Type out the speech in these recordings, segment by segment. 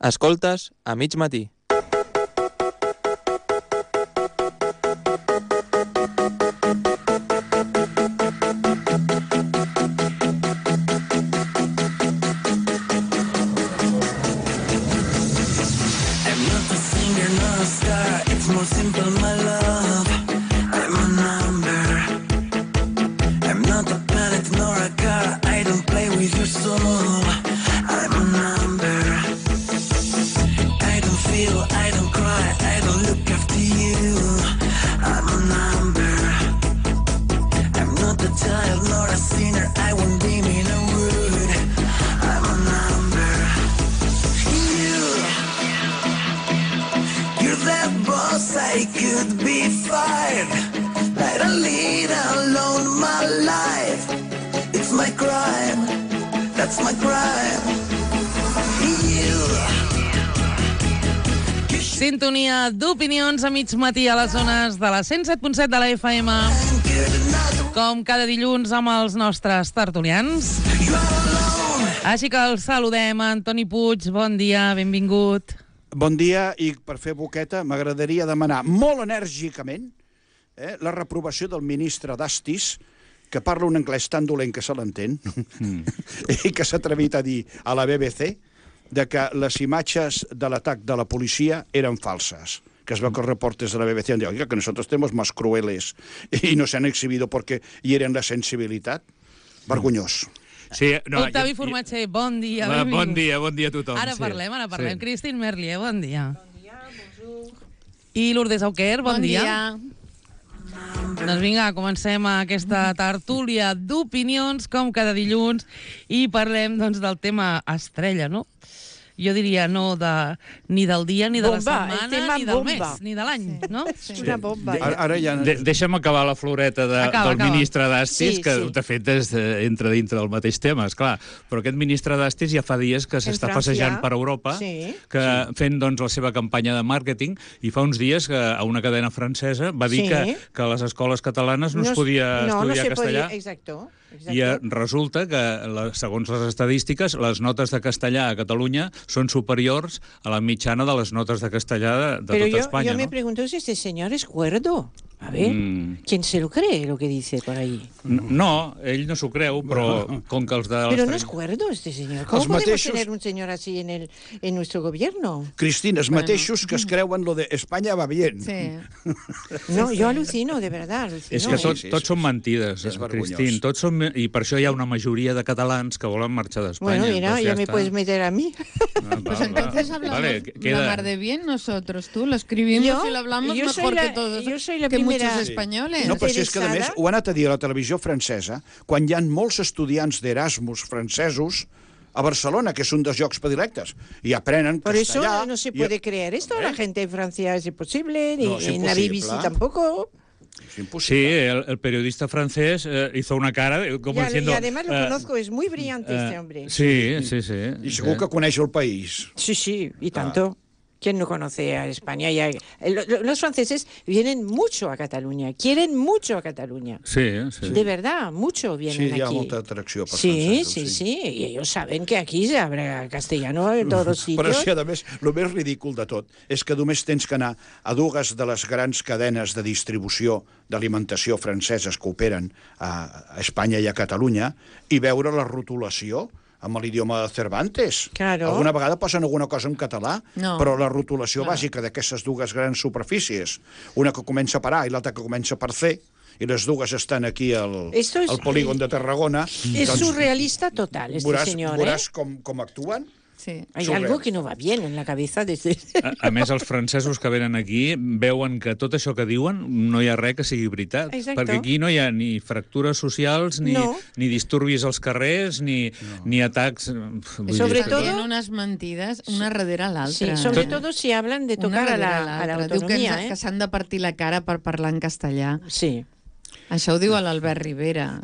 Escoltes a mig matí. Sintonia d'opinions a mig matí a les zones de la 107.7 de la FM. Com cada dilluns amb els nostres tertulians. Així que el saludem, Antoni Puig. Bon dia, benvingut. Bon dia, i per fer boqueta m'agradaria demanar molt enèrgicament la reprovació del ministre d'Astis, que parla un anglès tan dolent que se l'entén, i que s'ha atrevit a dir a la BBC de que les imatges de l'atac de la policia eren falses, que es veu que els reportes de la BBC han dit que nosotros tenemos más crueles y nos han exhibido porque hieren la sensibilitat. Vergonyós. Sí, no, Octavi Formatger, bon dia, benvingut. Bon dia a tothom. Ara parlem. Sí. Christine Merlier, bon dia. Bon dia, bonjour. I Lourdes Auquer, bon dia. Doncs vinga, comencem aquesta tertúlia d'opinions, com cada dilluns, i parlem del tema estrella, no? Jo diria ni del dia, ni de la setmana, ni del mes, ni de l'any, no? Sí. Una bomba. Ara ja... Deixa'm acabar la floreta del ministre d'Astis, que de fet entra dintre del mateix tema, esclar. Però aquest ministre d'Astis ja fa dies que s'està passejant per Europa, fent la seva campanya de màrqueting, i fa uns dies que a una cadena francesa va dir que a les escoles catalanes no es podia estudiar castellà. Exacte. I resulta que, segons les estadístiques, les notes de castellà a Catalunya són superiors a la mitjana de les notes de castellà de tota Espanya. Yo me pregunto si este señor es cuerdo. A ver, ¿quién se lo cree lo que dice por ahí? No, ell no s'ho creu, però com que els de... Pero no es cuerdo este señor. ¿Cómo podemos tener un señor así en nuestro gobierno? Cristina, els mateixos que es creuen lo de España va bien. Sí. No, yo alucino, de verdad. És que tots són mentides, Cristín. I per això hi ha una majoria de catalans que volen marxar d'Espanya. Bueno, mira, ya me puedes meter a mí. Pues entonces hablamos la mar de bien nosotros, tú lo escribimos y lo hablamos mejor que todos. Yo soy la muchos españoles. No, però si és que, a més, ho han anat a dir a la televisió francesa, quan hi ha molts estudiants d'Erasmus francesos a Barcelona, que és un dels llocs predilectes, i aprenen castellà... Por eso no se puede creer esto. La gente en Francia es imposible, ni en la BBC tampoco. Sí, el periodista francés hizo una cara como diciendo... Y además lo conozco, es muy brillante este hombre. Sí. I segur que coneix el país. Sí, y tanto. ¿Quién no conoce a España? Los franceses vienen mucho a Cataluña, quieren mucho a Cataluña. Sí. De verdad, mucho vienen aquí. Sí, hi ha molta atracció per francesos. Sí, y ellos saben que aquí se habla castellano en todos los sitios. Però sí, a més, el més ridícul de tot és que només tens que anar a dues de les grans cadenes de distribució d'alimentació franceses que operen a Espanya i a Catalunya i veure la rotulació amb l'idioma de Cervantes. Claro. Alguna vegada posen alguna cosa en català, però la rotulació bàsica d'aquestes dues grans superfícies, una que comença per A i l'altra que comença per C, i les dues estan aquí al polígon de Tarragona. És surrealista total, este senyor. Veuràs com actuen. Sí. Hay algo que no va bien en la cabeza. A més, els francesos que venen aquí veuen que tot això que diuen no hi ha res que sigui veritat. Exacto. Perquè aquí no hi ha ni fractures socials, ni disturbis als carrers, ni atacs... Sobre todo... También unas mentides, una darrere l'altra. Sí, sobre todo si hablan de tocar a la autonomía. Diu que s'han de partir la cara per parlar en castellà. Sí. Això ho diu l'Albert Rivera.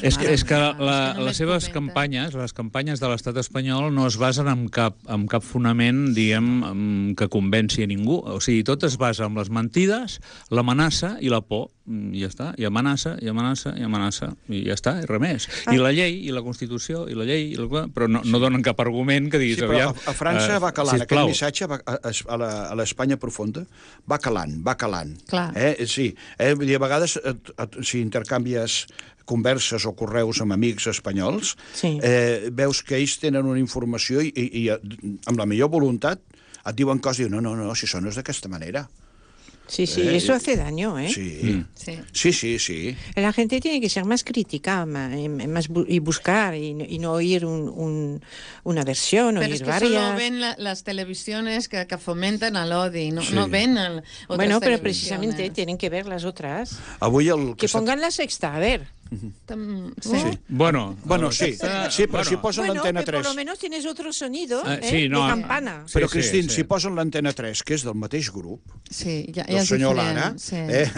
És que les seves campanyes, les campanyes de l'estat espanyol no es basen en cap fonament, diguem, que convenci a ningú. O sigui, tot es basa en les mentides, l'amenaça i la por. I ja està. I amenaça, i amenaça, i amenaça. I ja està, i res més. I la llei, i la Constitució, i la llei... Però no donen cap argument que diguis... Sí, però a França va calant. Aquest missatge a l'Espanya profunda va calant. Clar. Sí. Vull dir, a vegades, si intercanvies converses o correus amb amics espanyols, veus que ells tenen una informació i amb la millor voluntat et diuen coses i diuen, no, si això no és d'aquesta manera. Sí, eso hace daño, ¿eh? Sí. La gente tiene que ser más crítica y buscar y no oír una versión, pero oír varias. Pero es que solo ven las televisiones que fomentan al odio, no ven otras bueno, pero televisiones. Precisamente tienen que ver las otras. Que pongan la Sexta, a ver. Sí. Bueno, sí, però si posen l'antena 3... Por lo menos tienes otro sonido de campana. Però, Cristín, si posen l'antena 3, que és del mateix grup, del senyor Lara,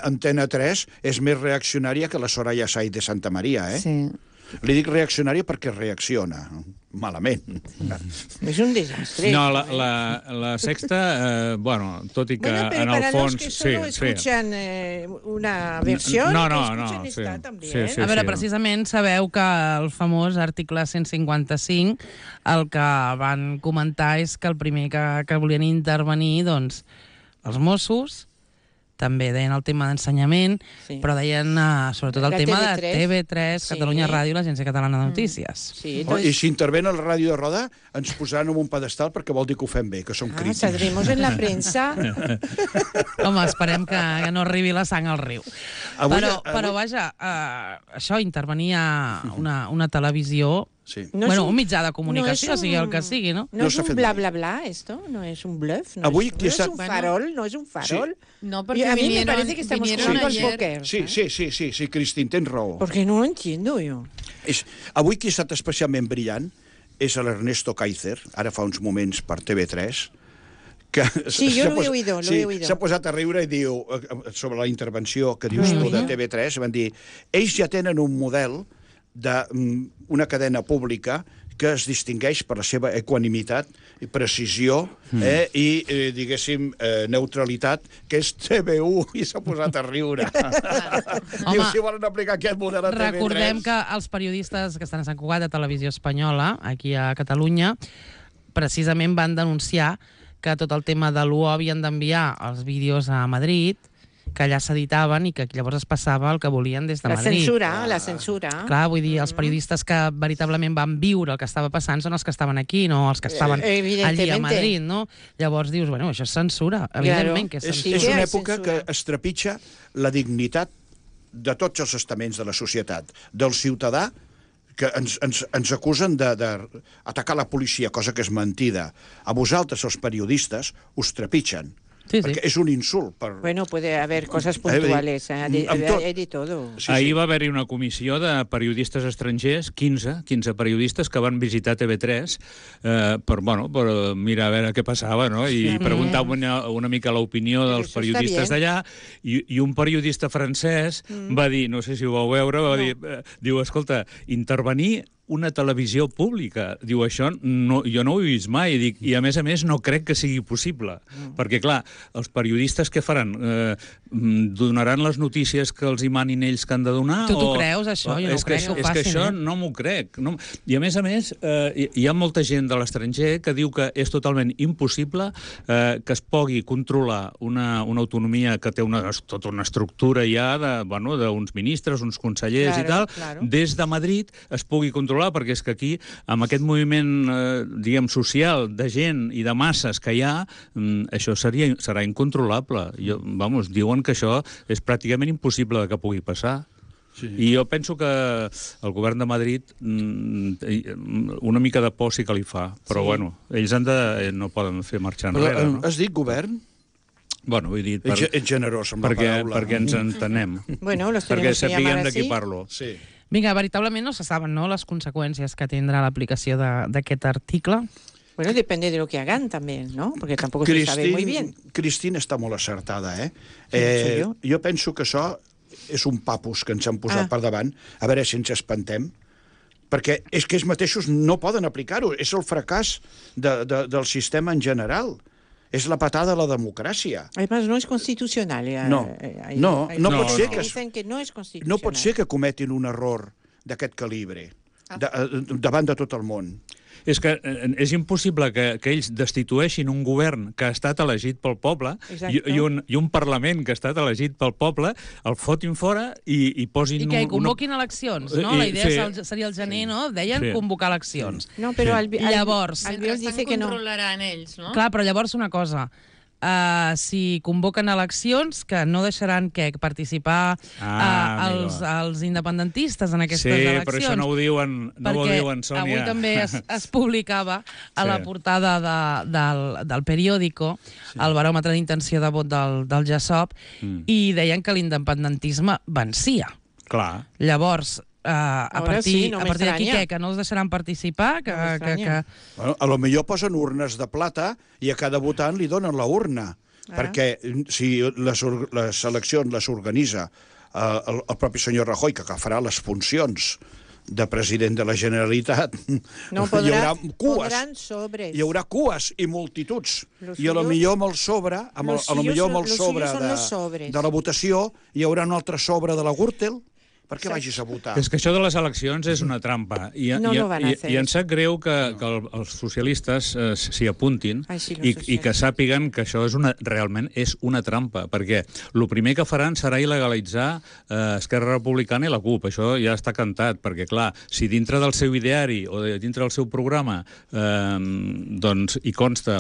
antena 3 és més reaccionària que la Soraya Sáenz de Santa Maria, Sí. Li dic reaccionària perquè reacciona malament. És un desastre. No, la Sexta, bueno, tot i que en el fons... Para los que solo escuchan una versión, escuchen esta també. A veure, precisament sabeu que el famós article 155 el que van comentar és que el primer que volien intervenir, doncs, els Mossos, també deien el tema d'ensenyament, però deien sobretot el tema de TV3, Catalunya Ràdio i l'Agència Catalana de Notícies. I si interven el Ràdio de Roda, ens posaran en un pedestal perquè vol dir que ho fem bé, que som crítics. Saldremos en la premsa. Home, esperem que no arribi la sang al riu. Però vaja, això, intervenia una televisió... un mitjà de comunicació, sigui el que sigui, no? No és un bla, bla, bla, esto? No és un bluff? No és un farol? No és un farol? No, porque a mí me parece que estamos jugando al póker. Sí, Cristín, tens raó. Porque no lo entiendo yo. Avui qui ha estat especialment brillant és l'Ernesto Kaiser, ara fa uns moments per TV3, que jo lo he oído. S'ha posat a riure i diu, sobre la intervenció que dius tu de TV3, van dir, ells ja tenen un model d'una cadena pública que es distingueix per la seva equanimitat i precisió i, diguéssim, neutralitat, que és TV1, i s'ha posat a riure. Diu, si volen aplicar aquest model a TV3... Recordem que els periodistes que estan a Sant Cugat de Televisió Espanyola, aquí a Catalunya, precisament van denunciar que tot el tema de l'UO havien d'enviar els vídeos a Madrid, que allà s'editaven i que llavors es passava el que volien des de Madrid. La censura. Clar, vull dir, els periodistes que veritablement van viure el que estava passant són els que estaven aquí, no els que estaven allí a Madrid, no? Llavors dius, bueno, això és censura, evidentment que és censura. És una època que es trepitja la dignitat de tots els estaments de la societat, del ciutadà, que ens acusen d'atacar la policia, cosa que és mentida. A vosaltres, els periodistes, us trepitgen. Perquè és un insult. Bueno, puede haber cosas puntuales, hay de todo. Ahir va haver-hi una comissió de periodistes estrangers, 15 periodistes que van visitar TV3 per mirar a veure què passava, no? I preguntar una mica l'opinió dels periodistes d'allà, i un periodista francès va dir, no sé si ho vau veure, va dir, diu, escolta, intervenir una televisió pública. Diu, això jo no ho he vist mai. I a més no crec que sigui possible. Perquè, clar, els periodistes què faran? Donaran les notícies que els hi manin ells que han de donar? Tu t'ho creus, això? Jo no crec que ho facin. És que això no m'ho crec. I a més, hi ha molta gent de l'estranger que diu que és totalment impossible que es pugui controlar una autonomia que té tota una estructura ja d'uns ministres, uns consellers i tal, des de Madrid es pugui controlar, perquè és que aquí, amb aquest moviment, diguem, social, de gent i de masses que hi ha, això serà incontrolable. Diuen que això és pràcticament impossible que pugui passar. I jo penso que el govern de Madrid una mica de por sí que li fa, però bueno, ells no poden fer marxar enrere. Has dit govern? Bueno, vull dir... Ets generós amb la paraula. Perquè ens entenem. Perquè sapiguem de qui parlo. Sí. Vinga, veritablement no se saben, no?, les conseqüències que tindrà l'aplicació d'aquest article. Bueno, depende de lo que hagan también, ¿no? Porque tampoco se sabe muy bien. Cristina està molt acertada, Jo penso que això és un papus que ens han posat per davant, a veure si ens espantem, perquè és que ells mateixos no poden aplicar-ho. És el fracàs del sistema en general. És la patada de la democràcia. Además, no és constitucional. No pot ser que no és constitucional. No pot ser que cometin un error d'aquest calibre davant de tot el món. És que és impossible que ells destitueixin un govern que ha estat elegit pel poble i un Parlament que ha estat elegit pel poble, el fotin fora i posin... I que convoquin eleccions, no? La idea seria el gener, no? Deien convocar eleccions. No, però llavors... Mentrestant controlaran ells, no? Clar, però llavors una cosa... si convoquen eleccions, que no deixaran participar els independentistes en aquestes eleccions. Sí, però això no ho diuen, Sònia. Avui també es publicava a la portada del periòdico el baròmetre d'intenció de vot del GESOP i deien que l'independentisme vencia. Clar. Llavors... a partir d'aquí que no els deixaran participar, Bueno, a lo millor posen urnes de plata i a cada votant li donen la urna, perquè si les eleccions les organitza el propi senyor Rajoy, que farà les funcions de president de la Generalitat, hi haurà cues i multituds, i a lo millor amb el sobre de la votació hi haurà un altre sobre de la Gürtel perquè vagis a votar. És que això de les eleccions és una trampa. I em sap greu que els socialistes s'hi apuntin i que sàpiguen que això realment és una trampa, perquè el primer que faran serà il·legalitzar Esquerra Republicana i la CUP. Això ja està cantat, perquè, clar, si dintre del seu ideari o dintre del seu programa hi consta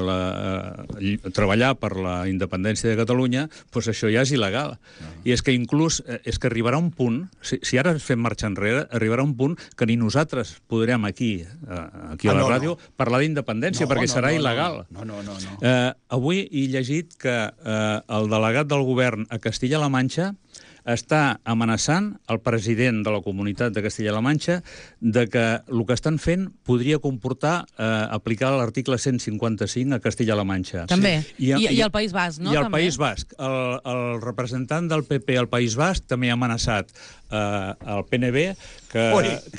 treballar per la independència de Catalunya, doncs això ja és il·legal. I és que inclús arribarà un punt... Si ara fem marxa enrere, arribarà un punt que ni nosaltres podrem aquí a la ràdio parlar d'independència, perquè serà il·legal. No. Avui he llegit que el delegat del govern a Castilla-La Manxa està amenaçant el president de la comunitat de Castilla-La Manxa de que el que estan fent podria comportar aplicar l'article 155 a Castilla-La Manxa. També. I al País Basc, no? I al País Basc. El representant del PP al País Basc també ha amenaçat el PNB que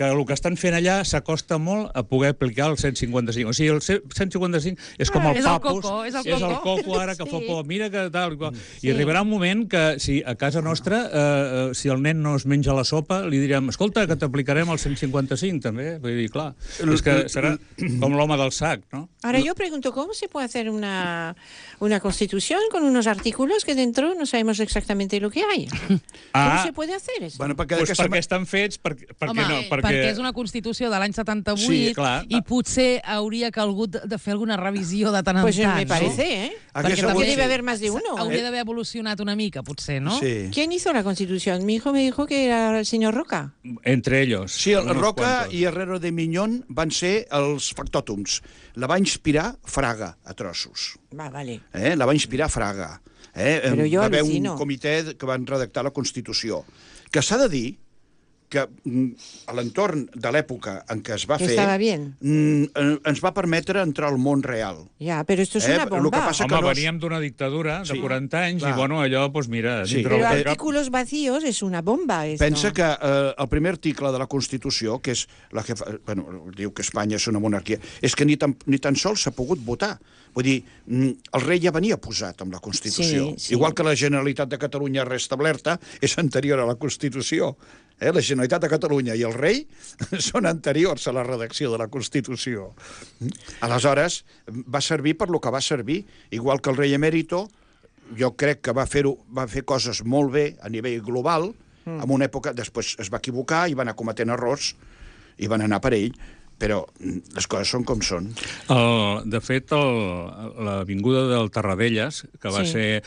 el que estan fent allà s'acosta molt a poder aplicar el 155. O sigui, el 155 és com el papus, és el coco ara que fa por, mira que tal... I arribarà un moment que si a casa nostra si el nen no es menja la sopa, li direm, escolta, que t'aplicarem el 155 també. Vull dir, clar, és que serà com l'home del sac, ¿no? Ahora yo pregunto, ¿cómo se puede hacer una constitución con unos artículos que dentro no sabemos exactamente lo que hay? ¿Cómo se puede hacer eso? Bueno, perquè estan fets, perquè és una Constitució de l'any 78 i potser hauria calgut de fer alguna revisió de tant en tant. Pues me parece, ¿eh? Porque también debe haber más de uno. Hauria d'haver evolucionat una mica, potser, ¿no? Sí. ¿Quién hizo la Constitución? Mi hijo me dijo que era el señor Roca. Entre ellos. Sí, el Roca i Herrero de Miñón van ser els factòtums. La va inspirar Fraga a trossos. Vale. La va inspirar Fraga. Va haver un comitè que van redactar la Constitució. Que s'ha de dir que a l'entorn de l'època en què es va fer ens va permetre entrar al món real. Ja, però esto és una bomba. Home, veníem d'una dictadura de 40 anys i, bueno, allò, doncs mira... Però artículos vacíos és una bomba, esto. Pensa que el primer article de la Constitució, que és la que diu que Espanya és una monarquia, és que ni tan sols s'ha pogut votar. Vull dir, el rei ja venia posat amb la Constitució. Igual que la Generalitat de Catalunya restablerta és anterior a la Constitució. La Generalitat de Catalunya i el rei són anteriors a la redacció de la Constitució. Aleshores, va servir per lo que va servir, igual que el rei emèrito, jo crec que va fer coses molt bé a nivell global, en una època, després es va equivocar i va anar cometent errors i van anar per ell, però les coses són com són. De fet, l'avinguda del Tarradellas, que va ser,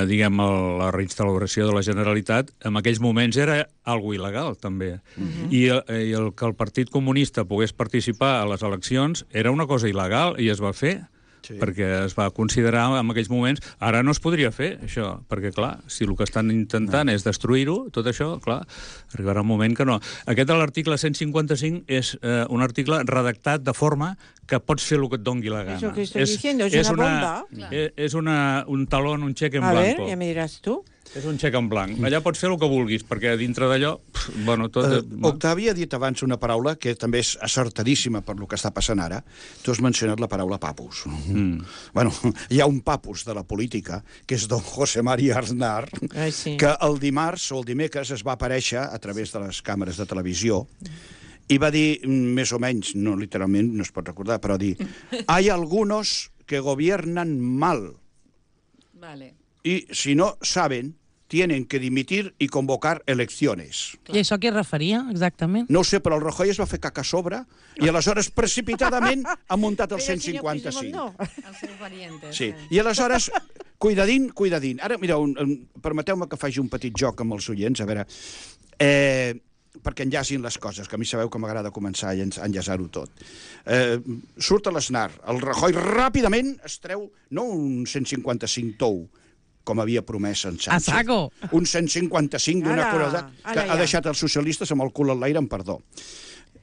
diguem, la reinstauració de la Generalitat, en aquells moments era algo il·legal, també. I el que el Partit Comunista pogués participar a les eleccions era una cosa il·legal i es va fer. Perquè es va considerar en aquells moments... Ara no es podria fer, això, perquè, clar, si el que estan intentant és destruir-ho, tot això, clar, arribarà un moment que no. Aquest de l'article 155 és un article redactat de forma que pots fer el que et doni la gana. Eso que estoy diciendo, es una bomba. És un talón, un cheque en blanco. A ver, ya me dirás tú. És un xec en blanc. Allà pots fer el que vulguis, perquè dintre d'allò... Bueno, tot... Octavi ha dit abans una paraula que també és acertadíssima per lo que està passant ara. Tu has mencionat la paraula papus. Bueno, hi ha un papus de la política, que és don José María Aznar, que el dimarts o el dimecres es va aparèixer a través de les càmeres de televisió i va dir, més o menys, no literalment, no es pot recordar, però dir «Hay algunos que gobiernan mal. Y si no saben, tienen que dimitir y convocar elecciones». I això a què es referia, exactament? No ho sé, però el Rajoy es va fer caca a sobre i aleshores precipitadament ha muntat el 155. El seu pariente. Sí, i aleshores, cuidadín. Ara, mireu, permeteu-me que faci un petit joc amb els oients, a veure, perquè enllacin les coses, que a mi sabeu que m'agrada començar a enllaçar-ho tot. Surt a l'Aznar, el Rajoy ràpidament es treu, no un 155 tou, com havia promès en Sánchez. A saco! Un 155 d'una crueltat que ha deixat els socialistes amb el cul al l'aire, amb perdó.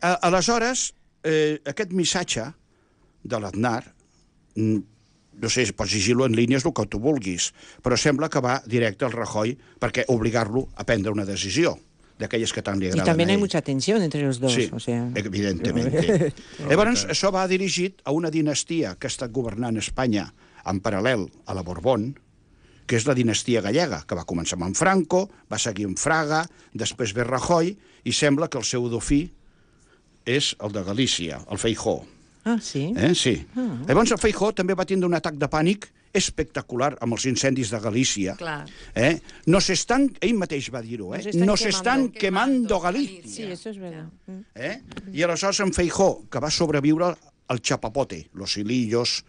Aleshores, aquest missatge de l'Aznar, no sé, pots llegir-lo en línies el que tu vulguis, però sembla que va directe al Rajoy perquè obligar-lo a prendre una decisió d'aquelles que tant li agraden a ell. Y también hay mucha tensión entre los dos. Sí, o sea... evidentemente. Llavors, això va dirigit a una dinastia que ha estat governant Espanya en paral·lel a la Borbón, que és la dinastia gallega, que va començar amb en Franco, va seguir amb Fraga, després ve Rajoy, i sembla que el seu dofí és el de Galícia, el Feijóo. Ah, sí? Sí. Llavors el Feijóo també va tindre un atac de pànic espectacular amb els incendis de Galícia. Clar. Ell mateix va dir-ho, nos están quemando Galícia. Sí, eso es verdad. I aleshores en Feijóo, que va sobreviure al chapapote, los hilillos,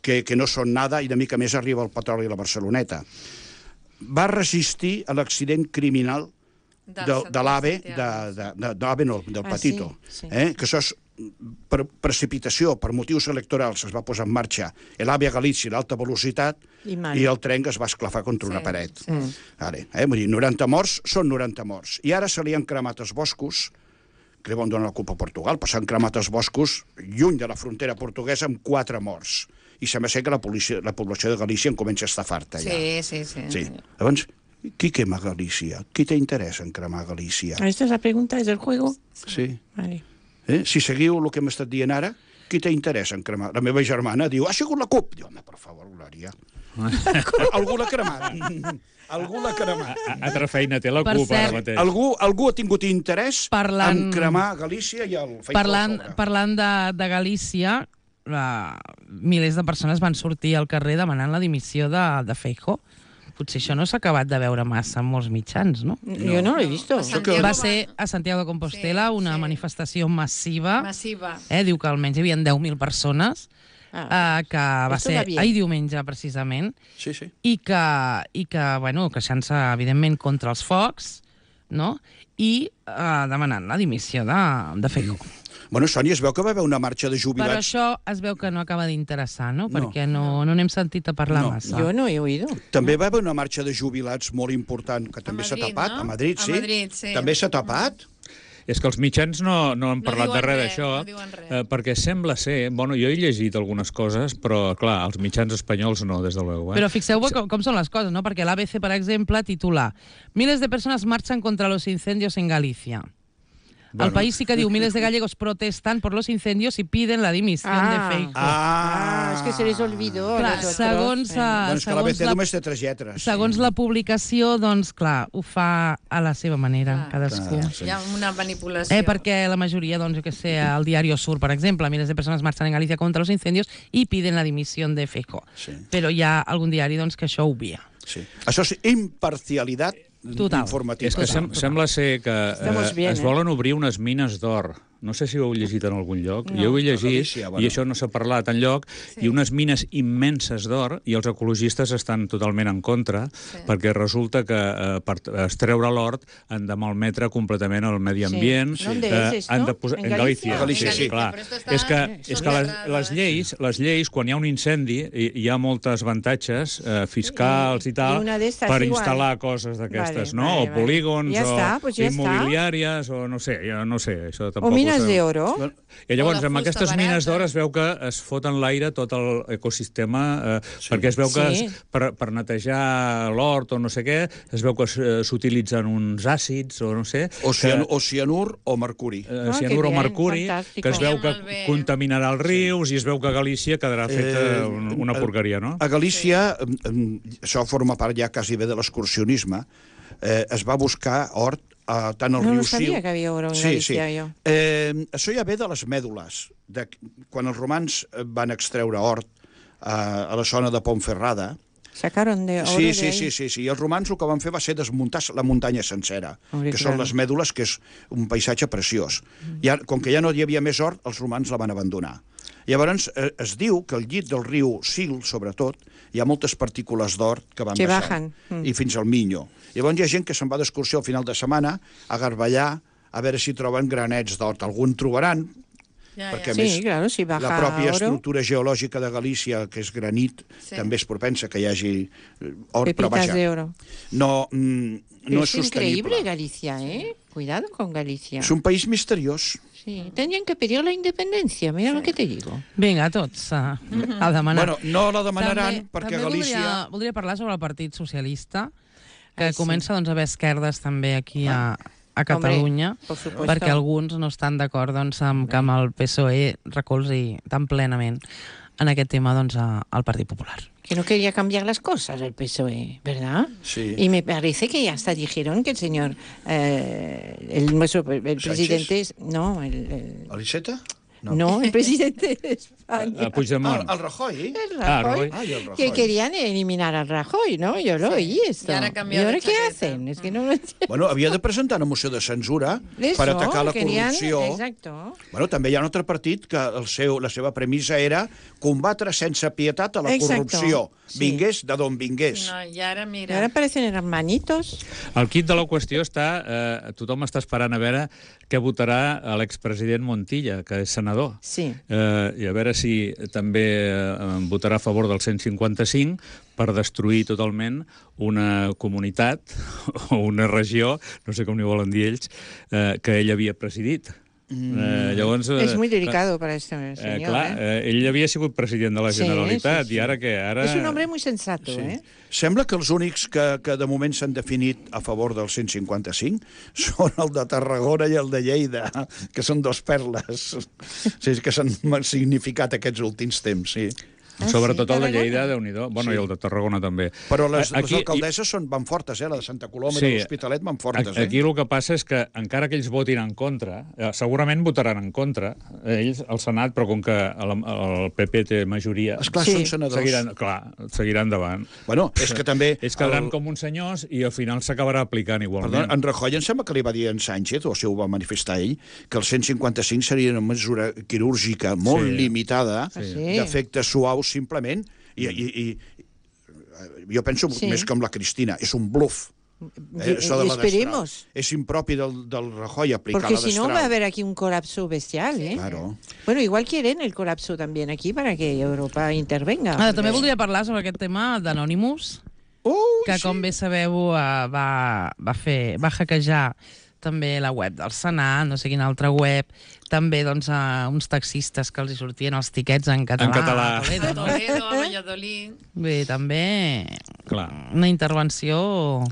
que no són nada, i de mica més arriba el petroli a la Barceloneta. Va resistir a l'accident criminal de l'AVE, del Petito. Que això és per precipitació, per motius electorals, es va posar en marxa l'AVE a Galícia, l'alta velocitat, i el tren que es va esclafar contra una paret. Vull dir, 90 morts són 90 morts. I ara se li han cremat els boscos, que li van donar la culpa a Portugal, però s'han cremat els boscos lluny de la frontera portuguesa amb 4 morts. I sembla ser que la població de Galícia en comença a estar farta ja. Sí. Llavors, qui quema Galícia? Qui té interès en cremar Galícia? Esta es la pregunta, es el juego. Sí. Vale. Si seguiu el que hem estat dient ara, qui té interès en cremar? La meva germana diu, ha sigut la CUP. Diu, home, per favor, Glòria. Algú l'ha cremat. Algú l'ha cremat. Altra feina té la CUP ara mateix. Algú ha tingut interès en cremar Galícia i el Feijóo sobre. Parlant de Galícia, milers de persones van sortir al carrer demanant la dimissió de Feijóo. Potser això no s'ha acabat de veure massa en molts mitjans, no? Jo no l'he vist. Va ser a Santiago de Compostela una manifestació massiva. Diu que almenys hi havia 10.000 persones, que va ser ahir diumenge, precisament, i que queixant-se, evidentment, contra els focs, i demanant la dimissió de Feijóo. Bueno, Sònia, es veu que va haver una marxa de jubilats... Però això es veu que no acaba d'interessar, no? Perquè no n'hem sentit a parlar massa. Jo no he oído. També va haver una marxa de jubilats molt important, que també s'ha tapat. A Madrid, sí. També s'ha tapat. És que els mitjans no han parlat de res d'això, perquè sembla ser... Bueno, jo he llegit algunes coses, però, clar, els mitjans espanyols no, des de luego. Però fixeu-vos com són les coses, no? Perquè l'ABC, per exemple, titula «Miles de personas marchan contra los incendios en Galicia». El País sí que diu miles de gallegos protestan por los incendios y piden la dimisión de Feijóo. Es que se les olvidó. Clar, segons que l'ABC només té 3 lletres. Segons la publicació, doncs, clar, ho fa a la seva manera, cadascú. Hi ha una manipulació. Perquè la majoria, doncs, jo què sé, al Diario Sur, per exemple, miles de persones marchan en Galicia contra los incendios y piden la dimisión de Feijóo. Però hi ha algun diari, doncs, que això ho obvia. Això és imparcialitat informativa. És que sembla ser que es volen obrir unes mines d'or. No sé si ho heu llegit en algun lloc. Jo ho he llegit, i això no s'ha parlat enlloc, i unes mines immenses d'or, i els ecologistes estan totalment en contra, perquè resulta que per extreure l'or han de malmetre completament el medi ambient. ¿Dónde es esto? En Galícia. Sí, clar. És que les lleis, quan hi ha un incendi, hi ha molts avantatges fiscals i tal, per instal·lar coses d'aquestes, no? O polígons, o immobiliàries, o no sé, això tampoc... Minas d'oro. I llavors, amb aquestes mines d'or es veu que es fot en l'aire tot l'ecosistema, perquè es veu que per netejar l'hort o no sé què, es veu que s'utilitzen uns àcids o no sé... O cianur o mercuri. Cianur o mercuri, que es veu que contaminarà els rius i es veu que a Galícia quedarà feta una porqueria, no? A Galícia, això forma part ja quasi bé de l'excursionisme, es va buscar hort tant al riu Sil... No sabia que havia oro en Galícia, jo. Això ja ve de les mèdules. Quan els romans van extreure hort a la zona de Ponferrada... Sacaron de oro de ahí. Sí. I els romans el que van fer va ser desmuntar la muntanya sencera, que són les mèdules, que és un paisatge preciós. Com que ja no hi havia més hort, els romans la van abandonar. Llavors, es diu que al llit del riu Sil, sobretot, hi ha moltes partícules d'or que van baixant, i fins al Minyo. Llavors hi ha gent que se'n va d'excursió al final de setmana a garballar, a veure si troben granets d'or. Algun trobaran, perquè a més la pròpia estructura geològica de Galícia, que és granit, també és propensa que hi hagi or, però vaja. No és sostenible. Es increíble Galicia, ¿eh? Cuidado con Galicia. És un país misteriós. Sí, tendrían que pedir la independencia, mira lo que te digo. Vinga, tots a demanar. Bueno, no la demanaran perquè Galícia... Voldria parlar sobre el Partit Socialista, que comença doncs, a haver esquerdes també aquí a Catalunya, perquè alguns no estan d'acord doncs, amb que el PSOE recolzi tan plenament en aquest tema doncs, al Partit Popular. Que no quería cambiar las cosas el PSOE, ¿verdad? Sí. Y me parece que hasta dijeron que el señor, el presidente... No, ¿Aliceta? No, el presidente de España. Puigdemont. ¿Al Rajoy? El Rajoy. Que querían eliminar al Rajoy, ¿no? Yo lo oí esto. ¿Y ahora qué hacen? Es que no lo entiendo. Bueno, havia de presentar una moció de censura per atacar la corrupció. Exacto. Bueno, també hi ha un altre partit que la seva premissa era combatre sense pietat a la corrupció. Vingués de d'on vingués. No, i ara, mira... I ara parecen hermanitos. El quid de la qüestió està... tothom està esperant a veure què votarà l'expresident Montilla, que és senador. Sí. I a veure si també votarà a favor del 155 per destruir totalment una comunitat o una regió, no sé com n'hi volen dir ells, que ell havia presidit. Llavors, és muy delicado para este señor. Clar, ell havia sigut president de la Generalitat i ara què? És un home muy sensato, Sembla que els únics que de moment s'han definit a favor del 155 són el de Tarragona i el de Lleida, que són dos perles que s'han significat aquests últims temps, sí. Sobretot el de Lleida, Déu-n'hi-do. Bueno, i el de Tarragona també. Però les alcaldesses van fortes, la de Santa Coloma i l'Hospitalet van fortes. Aquí el que passa és que, encara que ells votin en contra, segurament votaran en contra, ells, al Senat, però com que el PP té majoria... Esclar, són senadors. Seguiran endavant. Bueno, és que també... Ells quedaran com uns senyors i al final s'acabarà aplicant igualment. Perdó, en Rajoy em sembla que li va dir a en Sánchez, o si ho va manifestar ell, que el 155 seria una mesura quirúrgica molt limitada, d'efectes suaus, simplement, i jo penso més com la Cristina, és un bluff. Esperemos. Es impropi del Rajoy aplicar la Porque destral. si no va a haber aquí un colapso bestial, ¿eh? Claro. Bueno, igual quieren el colapso también aquí para que Europa intervenga. També voldria parlar sobre aquest tema d'Anonymous, que com bé sabeu va hackejar també la web del Senat, no sé quina altra web, també doncs, uns taxistes que els hi sortien els tiquets en català. En català. A Toledo, a Valladolid. Bé, també una intervenció...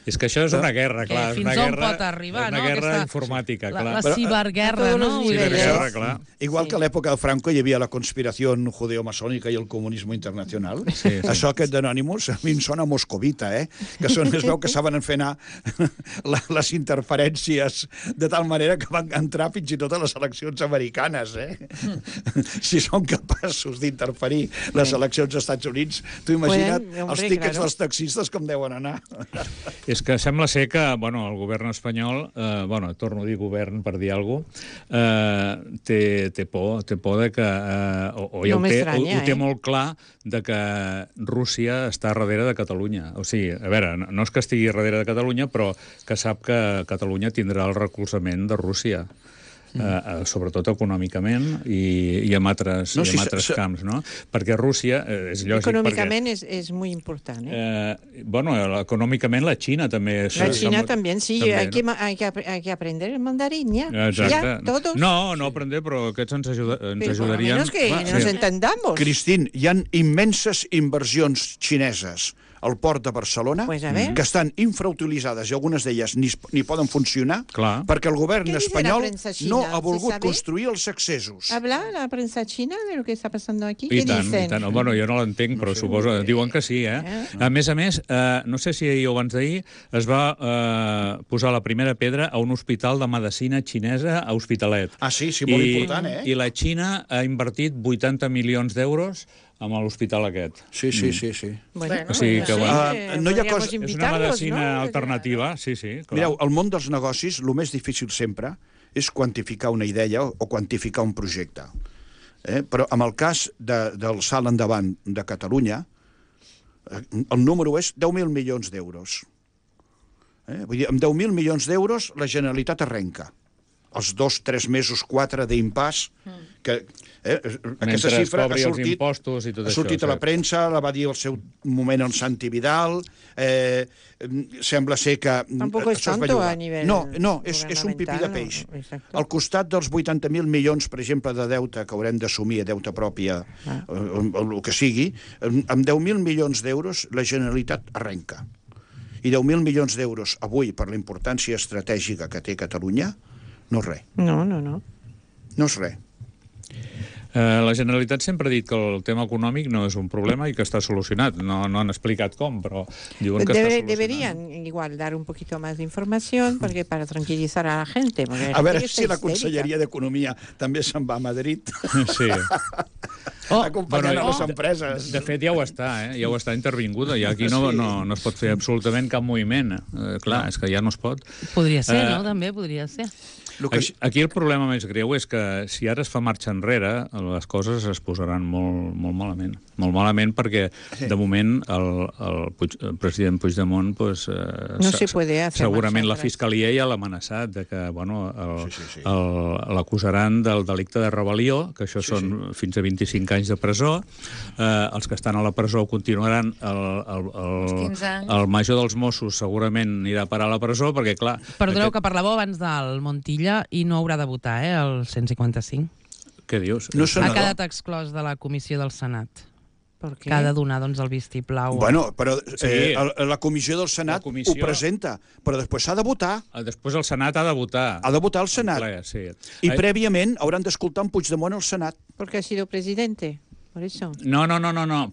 És que això és una guerra, clar. Fins on pot arribar, no? Una guerra informàtica, clar. La ciberguerra, no? Ciberguerra, clar. Igual que a l'època de Franco hi havia la conspiració judeo-masònica i el comunisme internacional. Això aquest d'Anonymous a mi em sona moscovita, que es veu que saben fer anar les interferències de tal manera que van entrar fins i tot a les eleccions americanes, Si són capaços d'interferir les eleccions als Estats Units, tu imagina't els tiquets dels taxistes com deuen anar. És que sembla ser que el govern espanyol, torno a dir govern per dir alguna cosa, té por de que... ho té molt clar de que Rússia està darrere de Catalunya. O sigui, a veure, no és que estigui darrere de Catalunya, però que sap que Catalunya tindrà el recolzament de Rússia. sobretot econòmicament i en altres camps, no? Perquè Rússia, és lògic... Econòmicament és molt important, Bueno, econòmicament la Xina també... La Xina també, sí. Hay que aprender el mandarín, ja. Exacte. Todos. No aprender, però aquests ens ajudarien... Pero por lo menos que nos entendamos. Cristín, hi ha immenses inversions xineses al port de Barcelona, que estan infrautilitzades i algunes d'elles ni poden funcionar perquè el govern espanyol no ha volgut construir els accessos. ¿Habla la prensa china de lo que está pasando aquí? I tant. Bueno, jo no l'entenc, però suposo... Diuen que sí, A més, no sé si ahir o abans d'ahir es va posar la primera pedra a un hospital de medicina xinesa a Hospitalet. Ah, sí, molt important, I la Xina ha invertit 80 milions d'euros amb l'hospital aquest. Sí. Bueno, o sigui que, no hi ha cosa... És una medicina alternativa, sí, clar. Mireu, el món dels negocis, el més difícil sempre és quantificar una idea o quantificar un projecte. Però en el cas del salt endavant de Catalunya, el número és 10.000 milions d'euros. Vull dir, amb 10.000 milions d'euros la Generalitat arrenca. Els 2, 3 mesos, 4 d'impàs, que aquesta xifra ha sortit a la premsa, la va dir al seu moment el Santi Vidal, sembla ser que... Tampoc és tanto a nivell... No, és un pipí de peix. Al costat dels 80.000 milions, per exemple, de deute que haurem d'assumir, deute pròpia, el que sigui, amb 10.000 milions d'euros la Generalitat arrenca. I 10.000 milions d'euros avui, per la importància estratègica que té Catalunya, no és res. No. No és res. La Generalitat sempre ha dit que el tema econòmic no és un problema i que està solucionat. No han explicat com, però diuen que está solucionado. Deberían igual dar un poquito más de información para tranquilizar a la gente. A veure si la Conselleria d'Economia també se'n va a Madrid. Sí. Acompanyant les empreses. De fet, ja ho està intervinguda. I aquí no es pot fer absolutament cap moviment. Clar, és que ja no es pot. Podria ser, no? També podria ser. Aquí el problema més greu és que si ara es fa marxa enrere, les coses es posaran molt malament. Molt malament perquè, de moment, el president Puigdemont segurament la Fiscalia ja l'ha amenaçat que l'acusaran del delicte de rebel·lió, que això són fins a 25 anys de presó. Els que estan a la presó continuaran. El major dels Mossos segurament anirà a parar a la presó perquè, clar... Perdoneu que parlàveu abans del Montilla i no haurà de votar, el 155. Què dius? Ha quedat exclòs de la comissió del Senat. Que ha de donar el vistiplau. Bueno, però la comissió del Senat ho presenta, però després s'ha de votar. Després el Senat ha de votar. Ha de votar el Senat. I prèviament hauran d'escoltar en Puigdemont al Senat. Perquè ha sido presidente. No,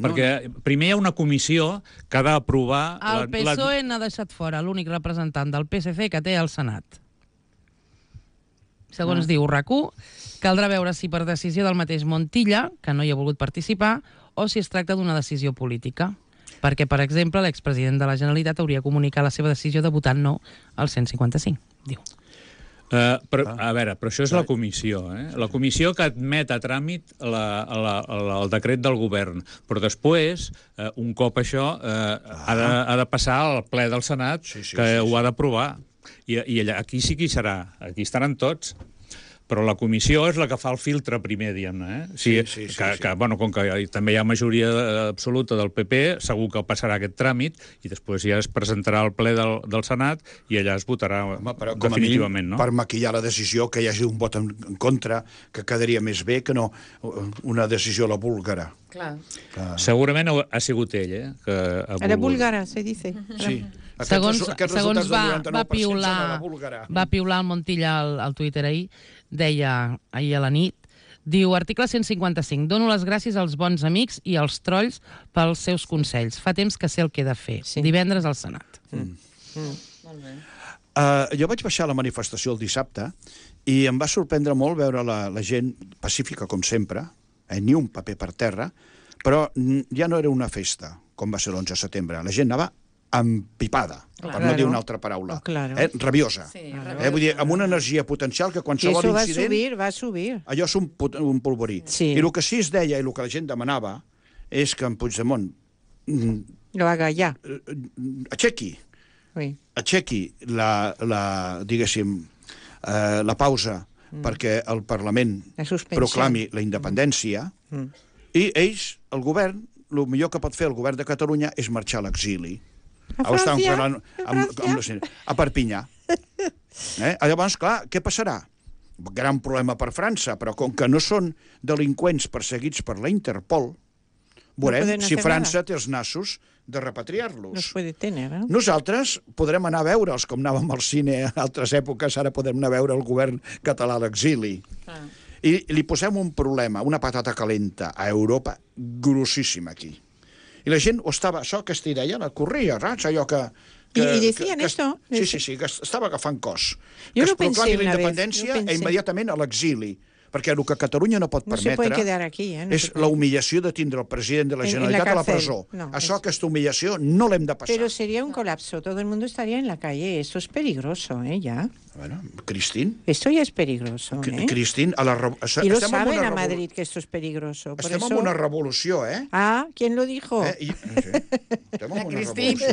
perquè primer hi ha una comissió que ha d'aprovar... El PSOE n'ha deixat fora l'únic representant del PSC que té al Senat. Segons diu RAC1, caldrà veure si per decisió del mateix Montilla, que no hi ha volgut participar, o si es tracta d'una decisió política. Perquè, per exemple, l'expresident de la Generalitat hauria comunicat la seva decisió de votar no al 155, diu. A veure, però això és la comissió, La comissió que admet a tràmit el decret del govern. Però després, un cop això, ha de passar al ple del Senat, que ho ha d'aprovar. I aquí sí que hi serà. Aquí estaran tots. Però la comissió és la que fa el filtre primer, diguem-ne. Com que també hi ha majoria absoluta del PP, segur que passarà aquest tràmit i després ja es presentarà al ple del Senat i allà es votarà definitivament. Per maquillar la decisió, que hi hagi un vot en contra, que quedaria més bé que no una decisió a la búlgara. Segurament ha sigut ell, a la búlgara, se dice. Sí. Segons va piular el Montilla al Twitter ahir, deia ahir a la nit, diu, article 155, dono les gràcies als bons amics i als trolls pels seus consells. Fa temps que sé el que he de fer. Divendres al Senat. Molt bé. Jo vaig baixar a la manifestació el dissabte i em va sorprendre molt veure la gent pacífica, com sempre, ni un paper per terra, però ja no era una festa, com va ser l'11 de setembre. La gent anava empipada, per no dir una altra paraula. Rabiosa. Vull dir, amb una energia potencial que qualsevol incident... va subir. Allò és un polvorí. I el que sí es deia i el que la gent demanava és que en Puigdemont... Lo haga ja. Aixequi la pausa perquè el Parlament proclami la independència i ells, el govern, el millor que pot fer el govern de Catalunya és marxar a l'exili. A França? A Perpinyà. Llavors, clar, què passarà? Gran problema per França, però com que no són delinqüents perseguits per la Interpol, veurem si França té els nassos de repatriar-los. Nosaltres podrem anar a veure'ls, com anàvem al cine en altres èpoques, ara podem anar a veure el govern català a l'exili. I li posem un problema, una patata calenta a Europa, grossíssima aquí. I la gent ho estava, això que es deia, la corria, saps? Allò que... I decían esto. Sí, que estava agafant cos. Que es proclami la independència i immediatament a l'exili. Perquè el que Catalunya no pot permetre és la humillació de tindre el president de la Generalitat a la presó. Això, aquesta humillació, no l'hem de passar. Pero sería un colapso. Todo el mundo estaría en la calle. Esto es peligroso, ya. Bueno, Cristín. Esto ya es peligroso, Cristín, y lo saben a Madrid que esto es peligroso. Estem en una revolució, Ah, ¿quién lo dijo? Estem en una revolució.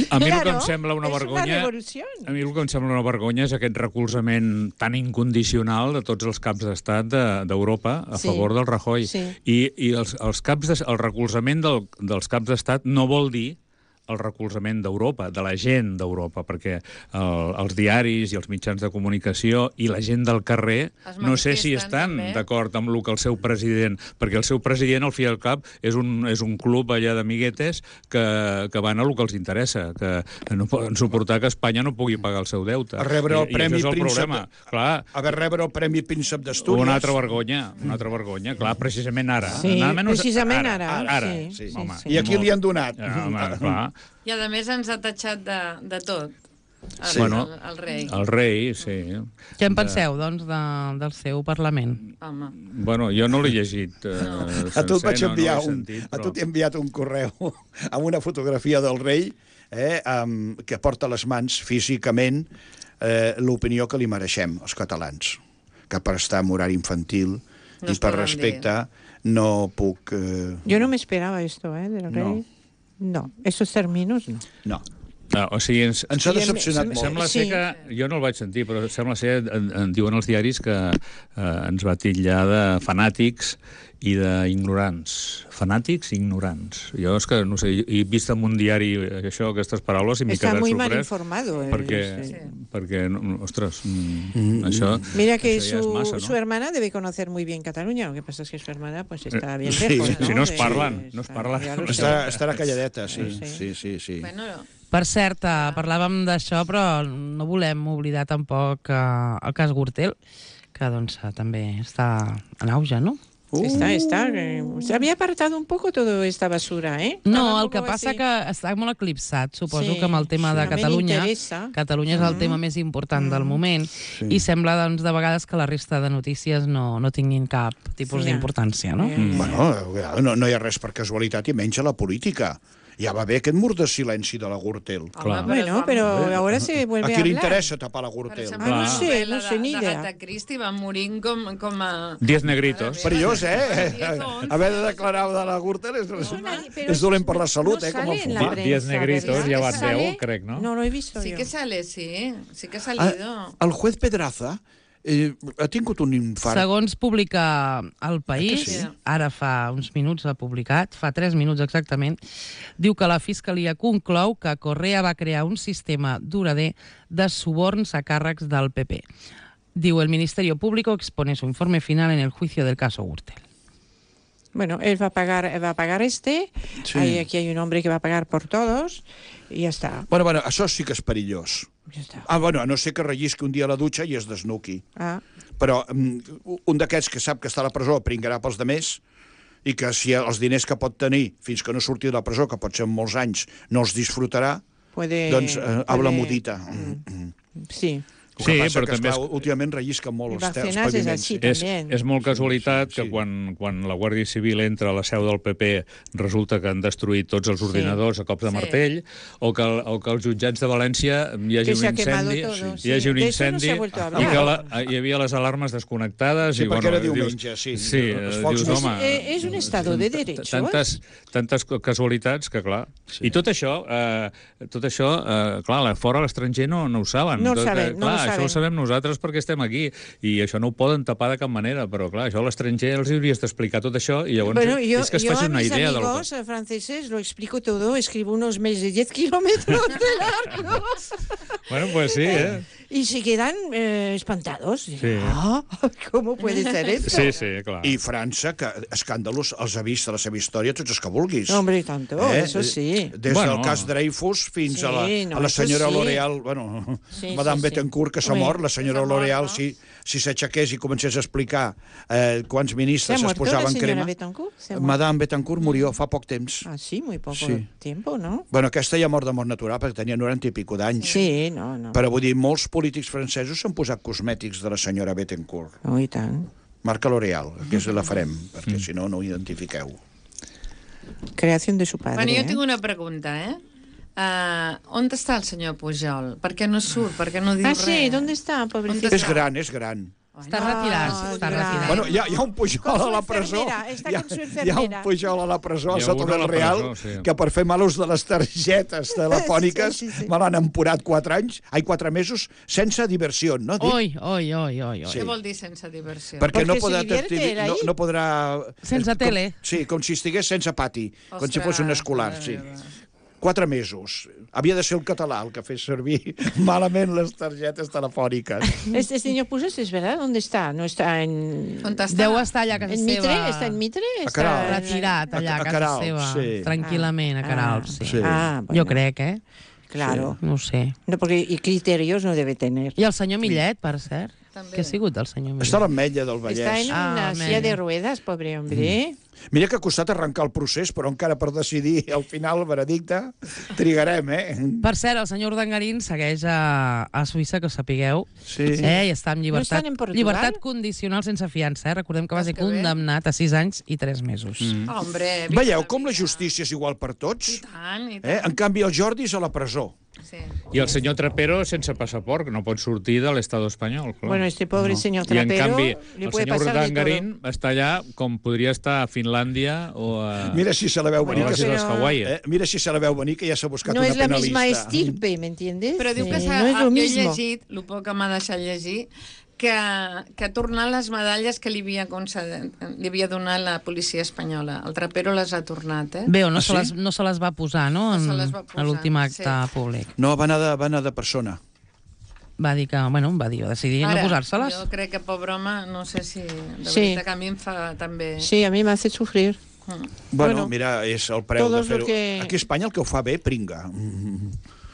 A mi el que em sembla una vergonya... A mi el que em sembla una vergonya és aquest recolzament tan incondicional de tots els caps d'estat d'Europa a favor del Rajoy. I el recolzament dels caps d'estat no vol dir el recolzament d'Europa, de la gent d'Europa, perquè els diaris i els mitjans de comunicació i la gent del carrer no sé si estan d'acord amb el que el seu president, perquè el seu president, al fi i al cap, és un club allà d'amiguetes que van a el que els interessa, que no poden suportar que Espanya no pugui pagar el seu deute. A rebre el Premi Príncep... A rebre el Premi Príncep d'Astúries. Una altra vergonya, clar, precisament ara. Sí, precisament ara. I aquí li han donat. Clar. I a més ens ha tatxat de tot. El rei. El rei, sí. Què en penseu, doncs, del seu Parlament? Home. Bueno, jo no l'he llegit A tu t'he enviat un correu amb una fotografia del rei que porta a les mans físicament l'opinió que li mereixem, els catalans, que per estar en horari infantil i per respecte no puc... Jo no m'esperava esto, del rei. No, esos términos no. No. O sigui, ens ha decepcionat molt. Sembla ser que, jo no el vaig sentir, però sembla ser, en diuen els diaris, que ens va titllar de fanàtics i d'ignorants. Fanàtics i ignorants. Jo és que, no sé, he vist en un diari aquestes paraules i m'he quedat sorprès. Està muy mal informado. Perquè ostres, això... Mira que su hermana debe conocer muy bien Cataluña, lo que pasa es que su hermana pues está bien lejos, ¿no? Si no es parlen, Estarà calladeta, sí. Per cert, parlàvem d'això, però no volem oblidar tampoc el cas Gürtel, que doncs també està en auge, no? Se había apartado un poco toda esta basura, No, el que passa que està molt eclipsat, suposo que amb el tema de Catalunya. Catalunya és el tema més important del moment i sembla, doncs, de vegades que la resta de notícies no tinguin cap tipus d'importància, no? Bueno, no hi ha res per casualitat i menys a la política. Ja va bé aquest mur de silenci de la Gürtel. Bueno, però ahora se vuelve a hablar. A qui li interessa tapar la Gürtel? No sé, ni idea. Agatha Christie va morint com a... 10 negritos. Perillós, Haver de declarar de la Gürtel és dolent per la salut, com el fumar. 10 negritos, ja van 10, crec, no? No lo he visto yo. Sí que sale, sí que ha salido. El juez Pedraza ha tingut un infart. Segons publica El País, ara fa uns minuts l'ha publicat, fa 3 minuts exactament, diu que la Fiscalia conclou que Correa va crear un sistema durader de suborns a càrrecs del PP. Diu, el Ministerio Público expone su informe final en el juicio del caso Gürtel. Bueno, él va a pagar aquí hay un hombre que va a pagar por todos y ya está. Bueno, això sí que és perillós. A no ser que rellisqui un dia a la dutxa i es desnuqui. Però un d'aquests que sap que està a la presó pringarà pels demés i que si els diners que pot tenir fins que no surti de la presó, que pot ser en molts anys, no els disfrutarà, doncs habla mudita. Sí. Sí, però també últimament rellisquen molt els paviments. És molt casualitat que quan la Guàrdia Civil entra a la seu del PP resulta que han destruït tots els ordinadors a cops de martell, o que als jutjats de València hi hagi un incendi i que hi havia les alarmes desconnectades. Sí, perquè era diumenge, sí. Dius, home... És un estado de derecho. Tantes casualitats que, clar... I tot això, clar, fora a l'estranger no ho saben. No ho saben, això ho sabem nosaltres perquè estem aquí, i això no ho poden tapar de cap manera, però clar, això a l'estranger els hauries d'explicar tot això, i llavors és que es facin una idea del... Yo a mis amigos franceses lo explico todo, escribo unos mails de 10 kilómetros de largo. Bueno, pues sí, Y se quedan espantados. Sí. ¿Cómo puede ser esto? Sí, clar. I França, que escàndalos els ha vist a la seva història tots els que vulguis. Hombre, tanto, eso sí. Des del cas Dreyfus fins a la senyora L'Oreal, bueno, Madame Bettencourt, que s'ha mort, la senyora L'Oreal, si s'aixequés i comencés a explicar quants ministres es posaven crema... Madame Bettencourt murió fa poc temps. Ah, sí, muy poco tiempo, ¿no? Bueno, aquesta ja mort de mort natural, perquè tenia 90 i pico d'anys. Sí, no. Però vull dir, molts polítics francesos s'han posat cosmètics de la senyora Bettencourt. Oh, i tant. Marca L'Oreal, que la farem, perquè si no, no ho identifiqueu. Creación de su padre. Bueno, jo tinc una pregunta, on està el senyor Pujol? Per què no surt? Per què no diu res? Ah, sí, ¿dónde está, pobrecito? És gran, és gran. Està retirat, està retirat. Bueno, hi ha un Pujol a la presó. Hi ha un Pujol a la presó, a Soto del Real, que per fer mal ús de les targetes telefòniques me l'han emporat 4 mesos sense diversió, no? Oi. Què vol dir sense diversió? Perquè no podrà... Sense tele. Sí, com si estigués sense pati, com si fos un escolar, sí. 4 mesos. Havia de ser el català el que fes servir malament les targetes telefòniques. Este señor Pujol, es verdad, ¿dónde está? No está en... Deu estar allà a casa seva. Mitre? Està en Mitre? Retirat allà a casa seva. Tranquil·lament, a Queralt, sí. Jo crec, Claro. No sé. No, porque y criterios no debe tener. I el senyor Millet, per cert? Què ha sigut del senyor Millet? Està a l'Ametlla del Vallès. Està en una silla de ruedas, pobre hombre. Mira que ha costat arrencar el procés, però encara per decidir al final el veredicte trigarem, Per cert, el senyor Urdangarín segueix a Suïssa, que ho sapigueu. Sí. I està en llibertat condicional sense fiança. Recordem que va ser condemnat a 6 anys i 3 mesos. Hombre, veieu com la justícia és igual per tots? I tant. En canvi, el Jordi és a la presó. Sí. I el senyor Trapero sense passaport, que no pot sortir de l'Estat espanyol. Clar. Bueno, este pobre senyor Trapero... I en canvi, el senyor Urdangarín està allà com podria estar a Finlàndia o a... Mira si se la veu venir. Mira si se la veu venir, que ja s'ha buscat una penalista. No és la misma estirpe, ¿me entiendes? Però diu que jo he llegit, el poc que m'ha deixat llegir, que ha tornat les medalles que li havia donat la policia espanyola. El Trapero les ha tornat, Bé, no se les va posar, no?, a l'últim acte públic. No, va anar de persona. Va dir que, va decidir no posar-se-les. Jo crec que, pobre home, no sé si... De veritat que a mi em fa també... Sí, a mi m'ha fet sofrir. Bueno, mira, és el preu de fer-ho. Aquí a Espanya el que ho fa bé, pringa.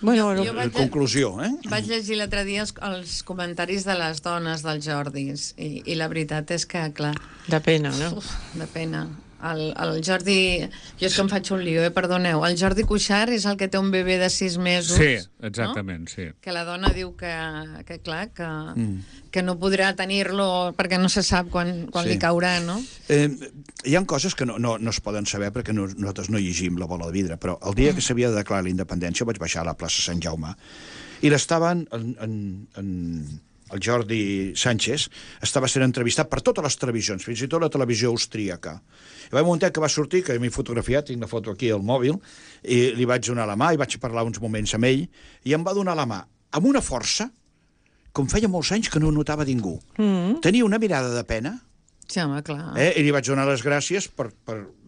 Bueno, en conclusió, Vaig llegir l'altre dia els comentaris de les dones del Jordi i la veritat és que, clar... De pena, no? De pena. El Jordi... Jo és que em faig un lío, perdoneu. El Jordi Cuixart és el que té un bebè de 6 mesos. Sí, exactament, sí. Que la dona diu que clar, que no podrà tenir-lo perquè no se sap quan li caurà, no? Hi ha coses que no es poden saber perquè nosaltres no llegim la bola de vidre, però el dia que s'havia de declarar la independència vaig baixar a la plaça Sant Jaume i l'estaven el Jordi Sánchez estava sent entrevistat per totes les televisions, fins i tot la televisió austríaca. I va un moment que va sortir, que m'he fotografiat, tinc la foto aquí al mòbil, i li vaig donar la mà i vaig parlar uns moments amb ell, i em va donar la mà amb una força, com feia molts anys que no notava ningú. Tenia una mirada de pena, sí, home, clar. I li vaig donar les gràcies per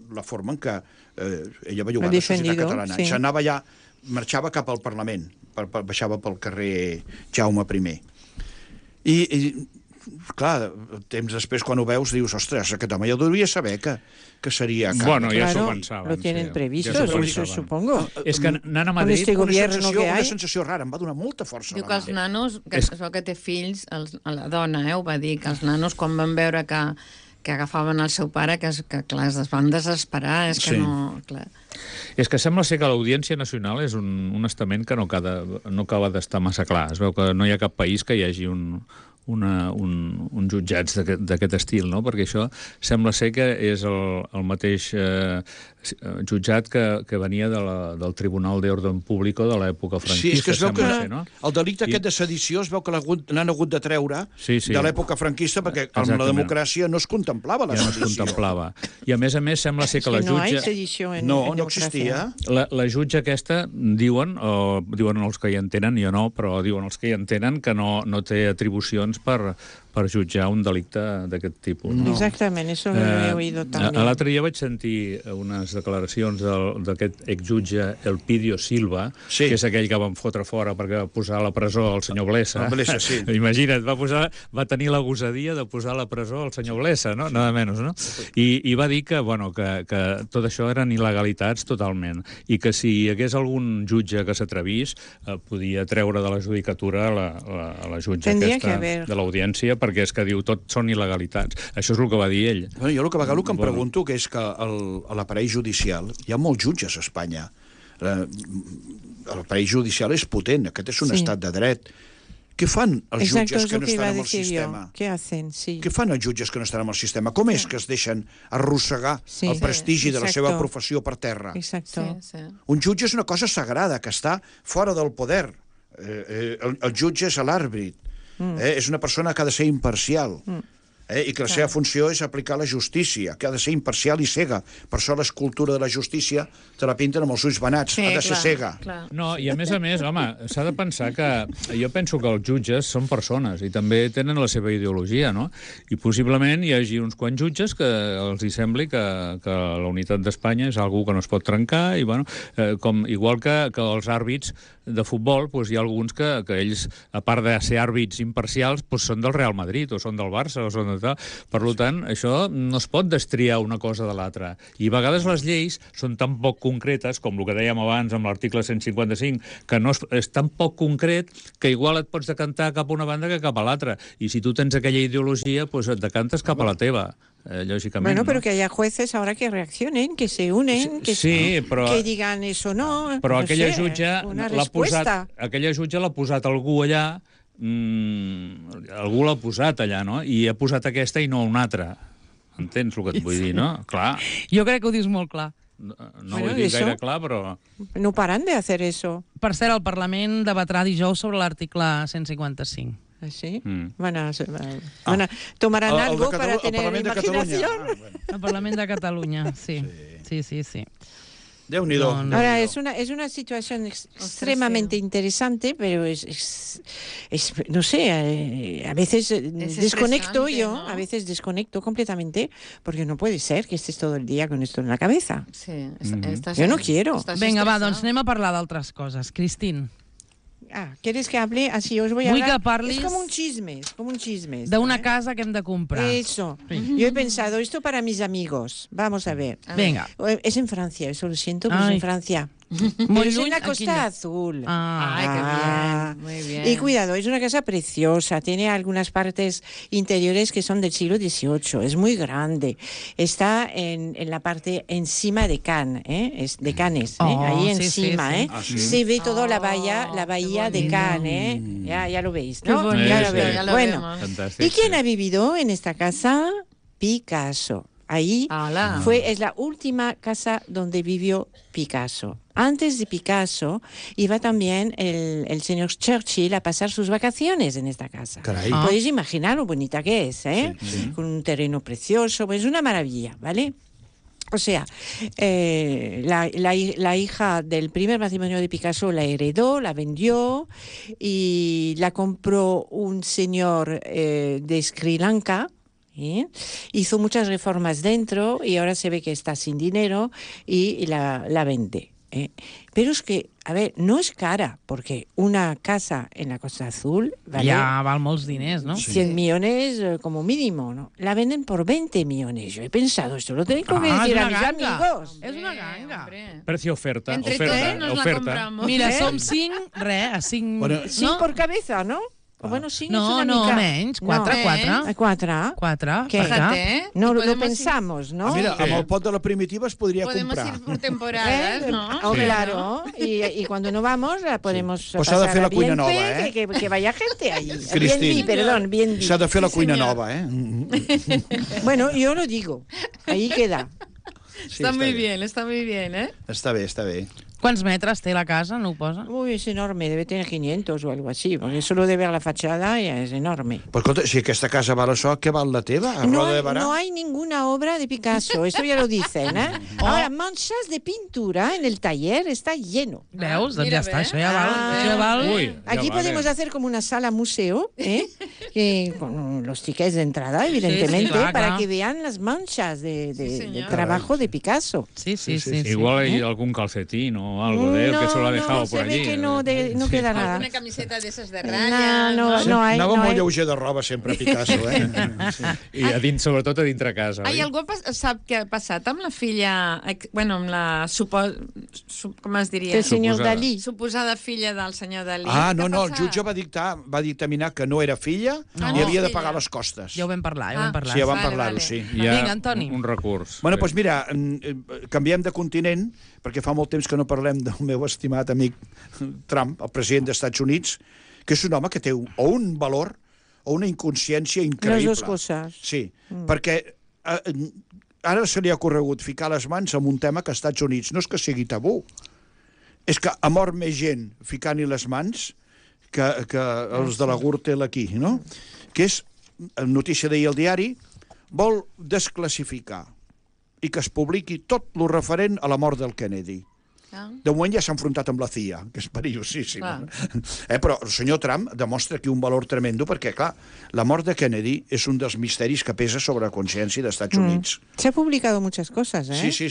la forma en què ella va jugar a la societat catalana. Sí. S'anava ja, marxava cap al Parlament, baixava pel carrer Jaume I. I clar, temps després, quan ho veus, dius, ostres, aquest home ja devia saber que seria... Bueno, ja s'ho pensaven. Lo tienen previsto, supongo. És que anant a Madrid... Una sensació rara, em va donar molta força. Diu que els nanos, que té fills, la dona, ho va dir, que els nanos, quan van veure que agafaven el seu pare, que clar, es van desesperar, és que no... Clar. És que sembla ser que l'Audiència Nacional és un estament que no acaba d'estar massa clar. Es veu que no hi ha cap país que hi hagi un uns jutjats d'aquest estil, no? Perquè això sembla ser que és el mateix jutjat que venia del Tribunal d'Orden Público de l'època franquista. Sí, és que es veu que el delicte aquest de sedició es veu que l'han hagut de treure de l'època franquista perquè amb la democràcia no es contemplava la sedició. No es contemplava. I a més ser la jutge... No hi ha sedició en democràcia. No existia. La jutge aquesta, diuen els que hi entenen, jo no, però diuen els que hi entenen que no té atribucions per jutjar un delicte d'aquest tipus. No. Exactament, això ho he oído també. L'altre dia vaig sentir unes declaracions d'aquest exjutge Elpidio Silva, que és aquell que van fotre fora perquè va posar a la presó el senyor Blesa. Sí. Imagina't, va tenir la gosadia de posar a la presó el senyor Blesa, no? Nada menys, no? I va dir que tot això eren il·legalitats totalment, i que si hi hagués algun jutge que s'atrevís, podia treure de la judicatura la jutge aquesta de l'audiència, perquè és que diu tot són il·legalitats. Això és el que va dir ell. Bueno, jo el que em pregunto que és que a l'aparell judicial hi ha molts jutges a Espanya. L'aparell judicial és potent, aquest és un estat de dret. Què fan els jutges que no estan en el sistema? Què fan els jutges que no estan en el sistema? Com és que es deixen arrossegar el prestigi de la seva professió per terra? Un jutge és una cosa sagrada, que està fora del poder. El jutge és l'àrbit. És una persona que ha de ser imparcial i que la seva funció és aplicar la justícia, que ha de ser imparcial i cega. Per això l'escultura de la justícia te la pinten amb els ulls venats, ha de ser cega. No, i a més, home, s'ha de pensar que... Jo penso que els jutges són persones i també tenen la seva ideologia, no? I possiblement hi hagi uns quants jutges que els hi sembli que la unitat d'Espanya és algú que no es pot trencar i, bueno, igual que els àrbits de futbol, hi ha alguns que ells, a part de ser àrbits imparcials, són del Real Madrid o són del Barça o són de tal. Per tant, això no es pot destriar una cosa de l'altra. I a vegades les lleis són tan poc concretes, com el que dèiem abans amb l'article 155, que no és tan poc concret que igual et pots decantar cap a una banda que cap a l'altra. I si tu tens aquella ideologia, et decantes cap a la teva. Lógicamente. Bueno, pero que haya jueces ahora que reaccionen, que se unen, que digan eso no. Però aquella jutge l'ha posat algú allà, algú l'ha posat allà, no? I ha posat aquesta i no una altra. Entens el que et vull dir, no? Clar. Jo crec que ho dius molt clar. No ho he dit gaire clar, però... No paran de hacer eso. Per cert, el Parlament debatrà dijous sobre l'article 155. ¿Sí? ¿Tomarán algo para tener imaginación? El Parlament de Catalunya, sí. Déu-n'hi-do. Ahora, es una situación extremadamente interesante, pero no sé, a veces desconecto yo, a veces desconecto completamente, porque no puede ser que estés todo el día con esto en la cabeza. Sí, yo no quiero. Vinga, va, doncs anem a parlar d'altres coses. Cristín. ¿Quieres que hable? Así os voy a hablar. Vull que parlis... Es como un chisme. D'una casa que hem de comprar. Eso. Yo he pensado, esto para mis amigos. Vamos a ver. Venga. Es en Francia, eso lo siento, pero es en Francia. Muy es en la Costa Azul. Ay, qué bien, muy bien. Y cuidado, es una casa preciosa, tiene algunas partes interiores que son del siglo XVIII, es muy grande. Está en la parte encima de Cannes, de Cannes, ahí encima, sí. Se ve toda la bahía de Cannes, ya lo veis, ¿no? Ya lo veis. Bueno, ¿y quién ha vivido en esta casa? Picasso. Ahí es la última casa donde vivió Picasso. Antes de Picasso iba también el señor Churchill a pasar sus vacaciones en esta casa. Podéis imaginar lo bonita que es, Sí. Con un terreno precioso, pues una maravilla, ¿vale? O sea, la hija del primer matrimonio de Picasso la heredó, la vendió y la compró un señor de Sri Lanka. Hizo muchas reformas dentro y ahora se ve que está sin dinero y la vende. Pero es que, a ver, no es cara, porque una casa en la Costa Azul vale... Ja val molts diners, ¿no? 100 millones como mínimo, ¿no? La venden por 20 millones. Yo he pensado, esto lo tengo que decir a mis amigos. És una ganga. Precio oferta. Entre todos nos la compramos. Mira, som 5, a 5... Bueno, 5 por cabeza, ¿no? Bueno, 5 no, és una mica... Menys, 4. 4? ¿Qué? Fíjate. No, lo pensamos, ¿no? Mira, amb el pot de la primitiva es podria comprar. Podemos ir por temporadas, ¿no? Oh, claro, y cuando no vamos la podemos Pues s'ha de fer la cuina ambiente, nova, eh? que vaya gente ahí. Cristín. Bien S'ha de fer la cuina nova, eh? Bueno, yo lo digo, ahí queda. Sí, Está muy bien, ¿eh? Està bé. ¿Cuántos metros té la casa? No ho posa? Uy, es enorme, debe tener 500 o algo así, porque solo de ver la fachada ya es enorme. Però escolta, si aquesta casa val això, què val la teva? A Roda de Barà? No hay ninguna obra de Picasso, eso ya lo dicen, ¿eh? Ahora, manchas de pintura en el taller está lleno. Veus? Doncs mira, ja està, bé. això ja val. Això ja val. Ui, Aquí podemos hacer como una sala museo, con los tickets de entrada, evidentemente, Sí, clar, para clar. que vean las manchas de señor. trabajo de Picasso. Sí. Igual hay algún calcetín o algo de él que se lo ha dejado por se ve allí. que no queda nada. Alguna camiseta de esas de rayas. No hay. Anava no molt hay. lleuger de roba sempre, Picasso, eh? Sí. I a dins, sobretot a dintre casa, Ai, oi? algú sap què ha passat amb la filla... Bueno, amb la... com es diria? El senyor Suposada. Dalí. Suposada filla del senyor Dalí. Ah, no, Què ha no, el passat? jutge va dictaminar que no era filla i havia de pagar les costes. Ja ho vam parlar, Sí, ja vam Vale, parlar-ho, vale. sí. Hi ha Vinga, Antoni. un recurs. Bueno, doncs mira, canviem de continent, perquè fa molt temps que no parlem del meu estimat amic Trump, el president dels Estats Units, que és un home que té o un valor o una inconsciència increïble. Les dues coses. Sí, perquè ara se li ha corregut ficar les mans en un tema que als Estats Units no és que sigui tabú, és que ha mort més gent ficant-hi les mans que els de la Gürtel aquí, no? Que és, notícia d'ahir al diari, vol desclassificar i que es publiqui tot lo referent a la mort del Kennedy. De moment ja s'ha enfrontat amb la CIA, que és perillosíssim. Però el senyor Trump demostra aquí un valor tremendo perquè, clar, la mort de Kennedy és un dels misteris que pesa sobre la consciència dels Estats Units. Se ha publicado muchas cosas, ¿eh? Sí,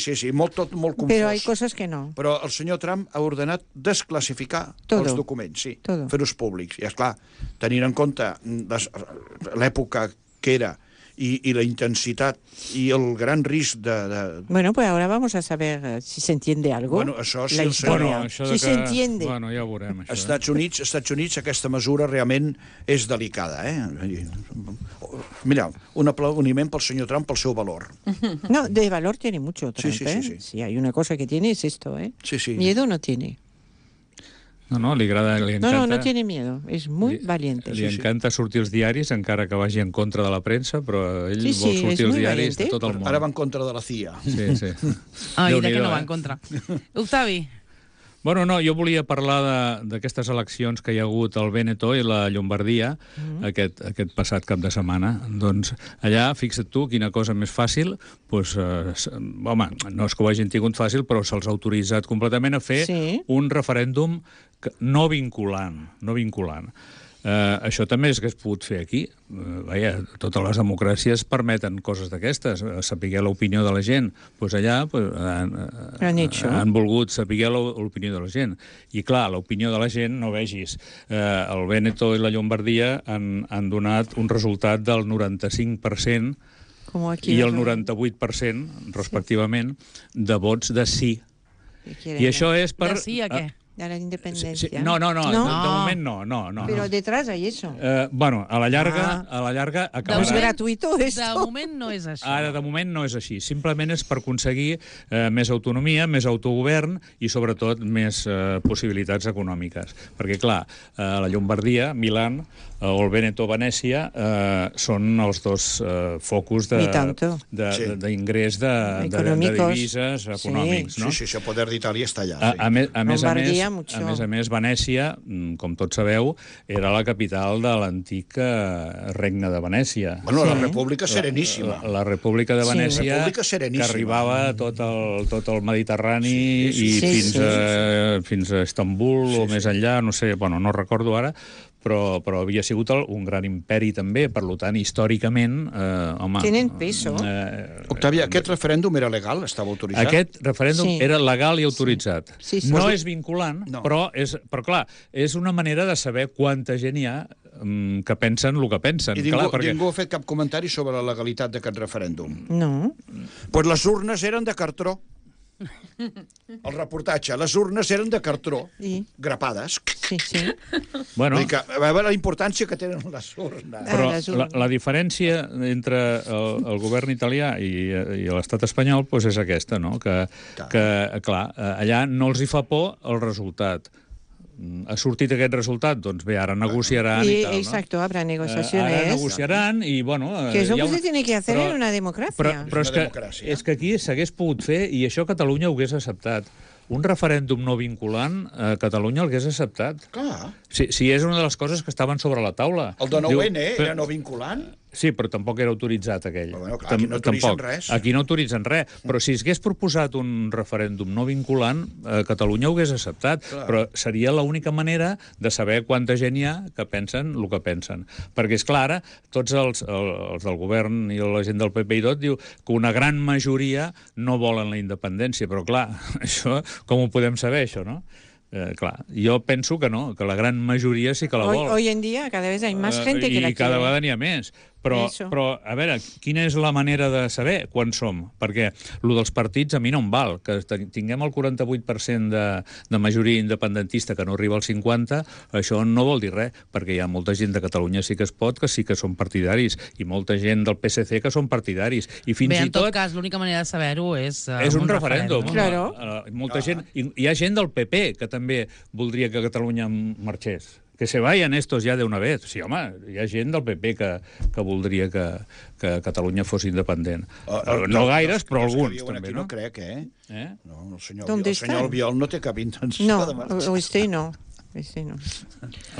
tot molt confós. Pero hay cosas que no. Però el senyor Trump ha ordenat desclassificar Todo. els documents, sí, Todo. fer-los públics. I, esclar, tenint en compte l'època que era y la intensitat i el gran risc de... Bueno, pues ahora vamos a saber si se entiende algo. Bueno, això sí, la historia. Això si se entiende. Bueno, ja ho veurem, això. Estats Units, aquesta mesura realment és delicada, eh? Mira, un aplaudiment pel senyor Trump pel seu valor. No, de valor tiene mucho Trump, Sí. Si hay una cosa que tiene es esto, ¿eh? Sí. Miedo no tiene. No, li agrada, li encanta... No tiene miedo, es muy valiente. Li encanta sortir als diaris, encara que vagi en contra de la premsa, però ell vol sortir als diaris de tot el món. Ara va en contra de la CIA. Sí. Ai, de què no va en contra. Octavi. Bueno, no, jo volia parlar d'aquestes eleccions que hi ha hagut al Vèneto i la Llombardia aquest passat cap de setmana. Doncs allà, fixa't tu, quina cosa més fàcil, doncs, home, no és que ho hagin tingut fàcil, però se'ls ha autoritzat completament a fer un referèndum no vinculant. Això també és que es pogut fer aquí. Vaja, totes les democràcies permeten coses d'aquestes, saber l'opinió de la gent. Doncs allà han volgut saber l'opinió de la gent. I clar, l'opinió de la gent, no vegis, el Vèneto i la Llombardia han donat un resultat del 95% i el 98%, respectivament, de vots de sí. I això és per... De sí a què? De la independencia. Sí, no, de moment no. Pero detrás hay eso. Bueno, a la llarga acabarà... Es gratuito esto. De moment no és així. Ara, de moment, no és així. Simplement és per aconseguir més autonomia, més autogovern i, sobretot, més possibilitats econòmiques. Perquè, clar, la Llombardia, Milán, o el Vèneto, Venècia, són els dos focus d'ingrés de divises econòmics. Sí, el poder d'Itàlia està allà. A més, Venècia, com tots sabeu, era la capital de l'antic regne de Venècia. Bueno, la República Sereníssima. La República de Venècia, que arribava a tot el Mediterrani i fins a Istanbul o més enllà, no sé, no recordo ara, però havia sigut un gran imperi també, per tant, històricament, home... Tenen peso. Octavia, aquest referèndum era legal? Estava autoritzat? Aquest referèndum era legal i autoritzat. No és vinculant, però clar, és una manera de saber quanta gent hi ha que pensen el que pensen. I ningú ha fet cap comentari sobre la legalitat d'aquest referèndum? No. Doncs les urnes eren de cartró. El reportatge. Les urnes eren de cartró, grapades. Sí. Bueno. A veure la importància que tenen les urnes. Però la diferència entre el govern italià i l'estat espanyol és aquesta, no? Que, clar, allà no els hi fa por el resultat. Ha sortit aquest resultat, doncs bé, ara negociaran i tal, ¿no? Exacto, habrá negociaciones. Ara negociaran i, bueno... Que és el que se tiene que hacer en una democràcia. Però és que aquí s'hagués pogut fer i això Catalunya ho hagués acceptat. Un referèndum no vinculant, Catalunya el hagués acceptat. Clar. Si és una de les coses que estaven sobre la taula. El de 9N era no vinculant? Sí, però tampoc era autoritzat, aquell. Però bueno, clar, aquí no autoritzen res. Aquí no autoritzen res. Però si s'hagués proposat un referèndum no vinculant, Catalunya ho hagués acceptat. Clar. Però seria l'única manera de saber quanta gent hi ha que pensen el que pensen. Perquè, és clar, ara, tots els del govern i la gent del PP i tot diu que una gran majoria no volen la independència. Però, clar, això, com ho podem saber, això, no? Clar, jo penso que no, que la gran majoria sí que la vol. Hoy en día cada vez hay más gente que la quiere. I cada vegada n'hi ha més. Però, a veure, quina és la manera de saber quan som? Perquè el dels partits a mi no em val. Que tinguem el 48% de majoria independentista que no arriba al 50%, això no vol dir res, perquè hi ha molta gent de Catalunya sí que es pot, que sí que són partidaris, i molta gent del PSC que són partidaris. I fins Bé, en tot cas, l'única manera de saber-ho és un referèndum. Claro. Molta gent... Hi ha gent del PP que també voldria que Catalunya marxés. Que se vayan estos ya de una vez. Sí, home, hi ha gent del PP que voldria que Catalunya fos independent. No gaires, però alguns, també, no? No crec, No, el senyor Albiol no té cap intenció de marxar. No, este no. El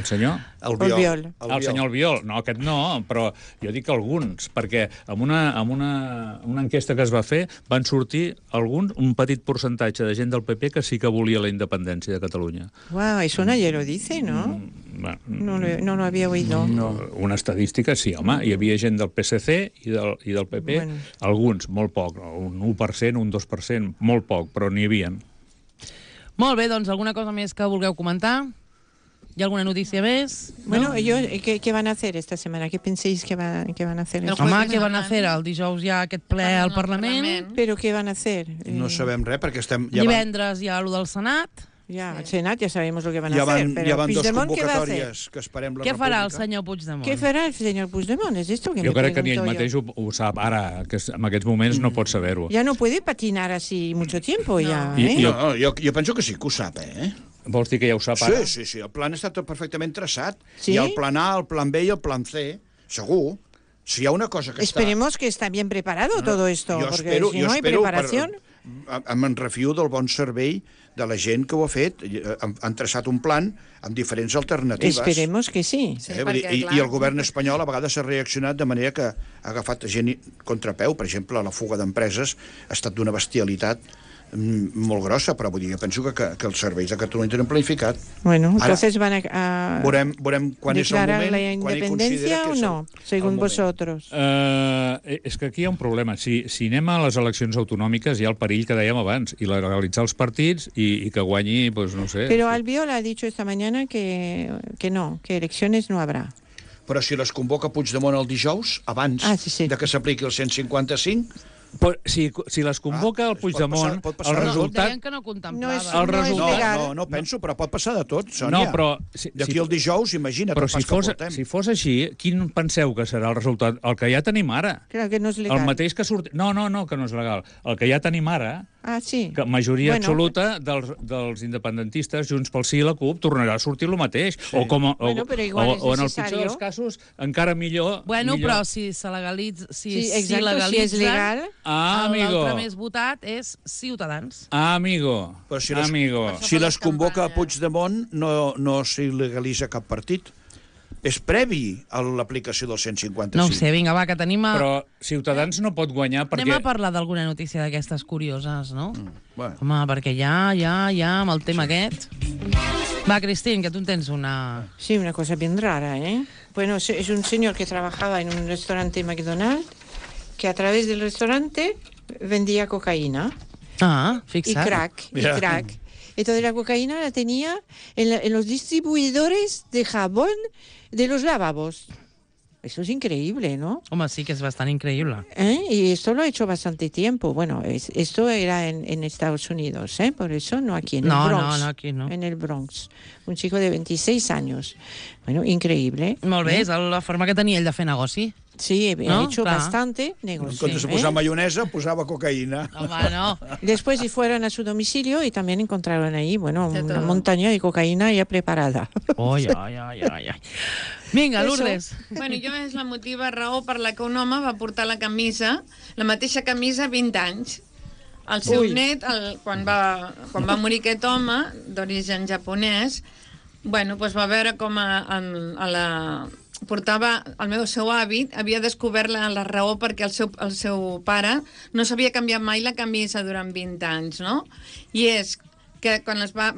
senyor? Albiol. El senyor Albiol. No, aquest no, però jo dic alguns, perquè amb una enquesta que es va fer van sortir alguns, un petit percentatge de gent del PP que sí que volia la independència de Catalunya. Wow, eso nadie lo dice, ¿no? No lo había oído. No. Una estadística, sí, home. Hi havia gent del PSC i del PP, alguns, molt poc, un 1%, un 2%, molt poc, però n'hi havia. Molt bé, doncs alguna cosa més que vulgueu comentar? ¿Y alguna noticia más? Bueno, ¿qué van a hacer esta semana? ¿Qué penséis que van a hacer? Home, què van a fer? El dijous hi ha aquest ple al Parlament. Però què van a hacer? No sabem res, perquè estem... Divendres hi ha allò del Senat. Ya, el Senat ya sabemos lo que van a hacer. Pero Puigdemont, ¿qué va a hacer? Que esperem la Què farà el senyor Puigdemont? Què farà el senyor Puigdemont? És esto que jo crec que ni ell mateix ho sap ara, que en aquests moments no pot saber-ho. Ya no puede patinar así mucho tiempo, ya. No, jo penso que sí que ho sap, Vols dir que ja ho sap ara? Sí, el plan està tot perfectament traçat. ¿Sí? Hi ha el plan A, el plan B i el plan C, segur. Si hi ha una cosa que Esperemos que está bien preparado todo esto, porque si no hay preparación... Me'n refio del bon servei de la gent que ho ha fet. Han traçat un plan amb diferents alternatives. Esperemos que sí. I el govern espanyol a vegades s'ha reaccionat de manera que ha agafat gent contrapeu. Per exemple, la fuga d'empreses ha estat d'una bestialitat molt grossa, però vull dir, penso que els serveis de Catalunya tenen planificat. Bueno, entonces van a veurem quan és el moment, la independencia o no, según vosotros. És que aquí hi ha un problema. Si anem a les eleccions autonòmiques, hi ha el perill que dèiem abans, i legalitzar els partits i que guanyi, pues no sé. Pero Albiol ha dicho esta mañana que no, que elecciones no habrá. Però si les convoca Puigdemont el dijous, abans de que s'apliqui el 155... Si les convoca el Puigdemont, el resultat... Deien que no contemplava. No penso, però pot passar de tot, Sònia. No, però... D'aquí el dijous, imagina't el pas que portem. Si fos així, quin penseu que serà el resultat? El que ja tenim ara. Clar, que no és legal. El mateix que surt... No, que no és legal. El que ja tenim ara... sí. Que majoria absoluta dels independentistes, Junts pel Sí i la CUP, tornarà a sortir el mateix. Sí. O en el pitjor dels casos, encara millor... Bueno, però si se legalitza... Si és legal... L'altre més votat és Ciutadans. Amigo. Si les convoca Puigdemont, no s'il·legalitza cap partit. És previ a l'aplicació del 155. No ho sé, vinga, va, que tenim... Però Ciutadans no pot guanyar perquè... Anem a parlar d'alguna notícia d'aquestes curioses, no? Home, perquè ja, amb el tema aquest... Va, Cristín, que tu en tens una... Sí, una cosa bien rara, Bueno, es un señor que trabajaba en un restaurante McDonald's que a través del restaurante vendía cocaína. Fixa't. Y crack. Entonces la cocaína la tenía en los distribuidores de jabón de los lavabos. Eso es increíble, ¿no? Home, sí que es bastante increíble. Y esto lo he hecho bastante tiempo. Bueno, esto era en Estados Unidos, por eso no aquí, en el Bronx. No, aquí no. En el Bronx. Un chico de 26 años. Bueno, increíble. Molt bé, és la forma que tenia ell de fer negoci. Sí, he hecho bastante negocio. En comptes de posar mayonesa, posaba cocaína. Home, no. Después fueron a su domicilio y también encontraron ahí, bueno, una montaña de cocaína ya preparada. Ai, ai, ai, ai, ai. Vinga, Lourdes. Bueno, jo és la motiva raó per la que un home va portar la mateixa camisa 20 anys. El seu net, quan va morir aquest home, d'origen japonès, bueno, doncs va veure com portava el seu avi, havia descobert la raó perquè el seu pare no s'havia canviat mai la camisa durant 20 anys, no? I és que quan va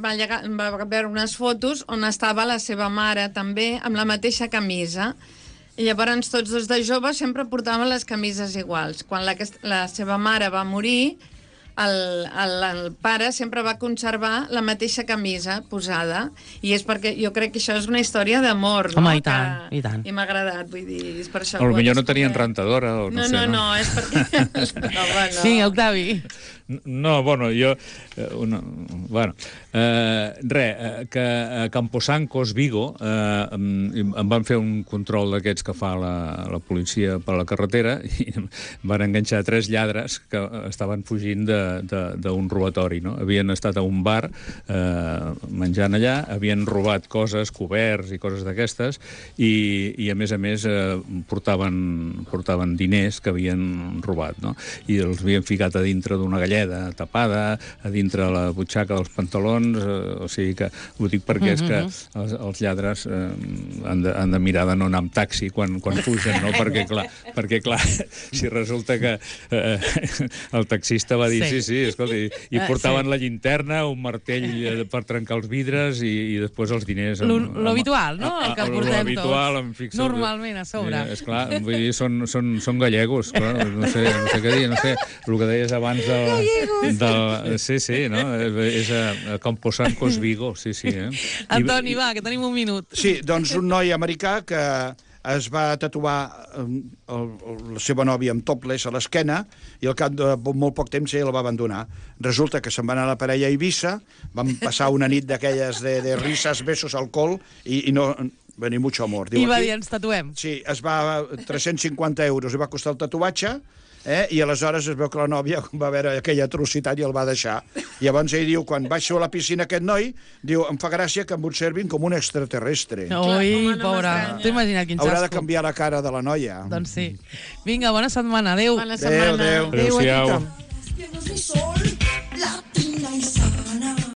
veure unes fotos on estava la seva mare també amb la mateixa camisa. I llavors tots dos de joves sempre portaven les camises iguals. Quan la seva mare va morir, el pare sempre va conservar la mateixa camisa posada, i és perquè jo crec que això és una història d'amor, no? Home, i tant, i tant. I m'ha agradat, vull dir, és per això. Potser no tenien rentadora, o no sé. No, és perquè... Sí, Octavi. No, bueno, jo... que a Camposancos, Vigo, em van fer un control d'aquests que fa la policia per la carretera i van enganxar 3 lladres que estaven fugint d'un robatori, no? Havien estat a un bar menjant allà, havien robat coses, coberts i coses d'aquestes, i a més portaven diners que havien robat, no? I els havien ficat a dintre d'una galleda tapada, a dintre la butxaca dels pantalons, o sigui que ho dic perquè és que els lladres han de mirar de no anar amb taxi quan fugen, no? Perquè clar, si resulta que el taxista va dir sí, escolta, i portaven la llinterna, un martell per trencar els vidres i després els diners... Lo habitual, no? El que portem tots. Normalment, a sobre. Esclar, vull dir, són gallegos, clar, no sé què dir, no sé, el que deies abans del... Sí, no? És a Camposancos, Vigo, sí. Antoni, va, que tenim un minut. Sí, doncs un noi americà que es va tatuar la seva nòvia amb topless a l'esquena i al cap de molt poc temps ell la va abandonar. Resulta que se'n va anar a la parella a Eivissa, van passar una nit d'aquelles de risas, besos, alcohol i no... Ni mucho amor. I va dir, ens tatuem. Sí, 350 euros i va costar el tatuatge, i aleshores es veu que la nòvia va veure aquella atrocitat i el va deixar. I llavors ell diu, quan baixo a la piscina aquest noi, diu, em fa gràcia que em observin com un extraterrestre. Ui, pobra. T'ho imagina't quin xasco. Haurà de canviar la cara de la noia. Doncs sí. Vinga, bona setmana. Adéu. Bona setmana. Adéu. Adéu-siau.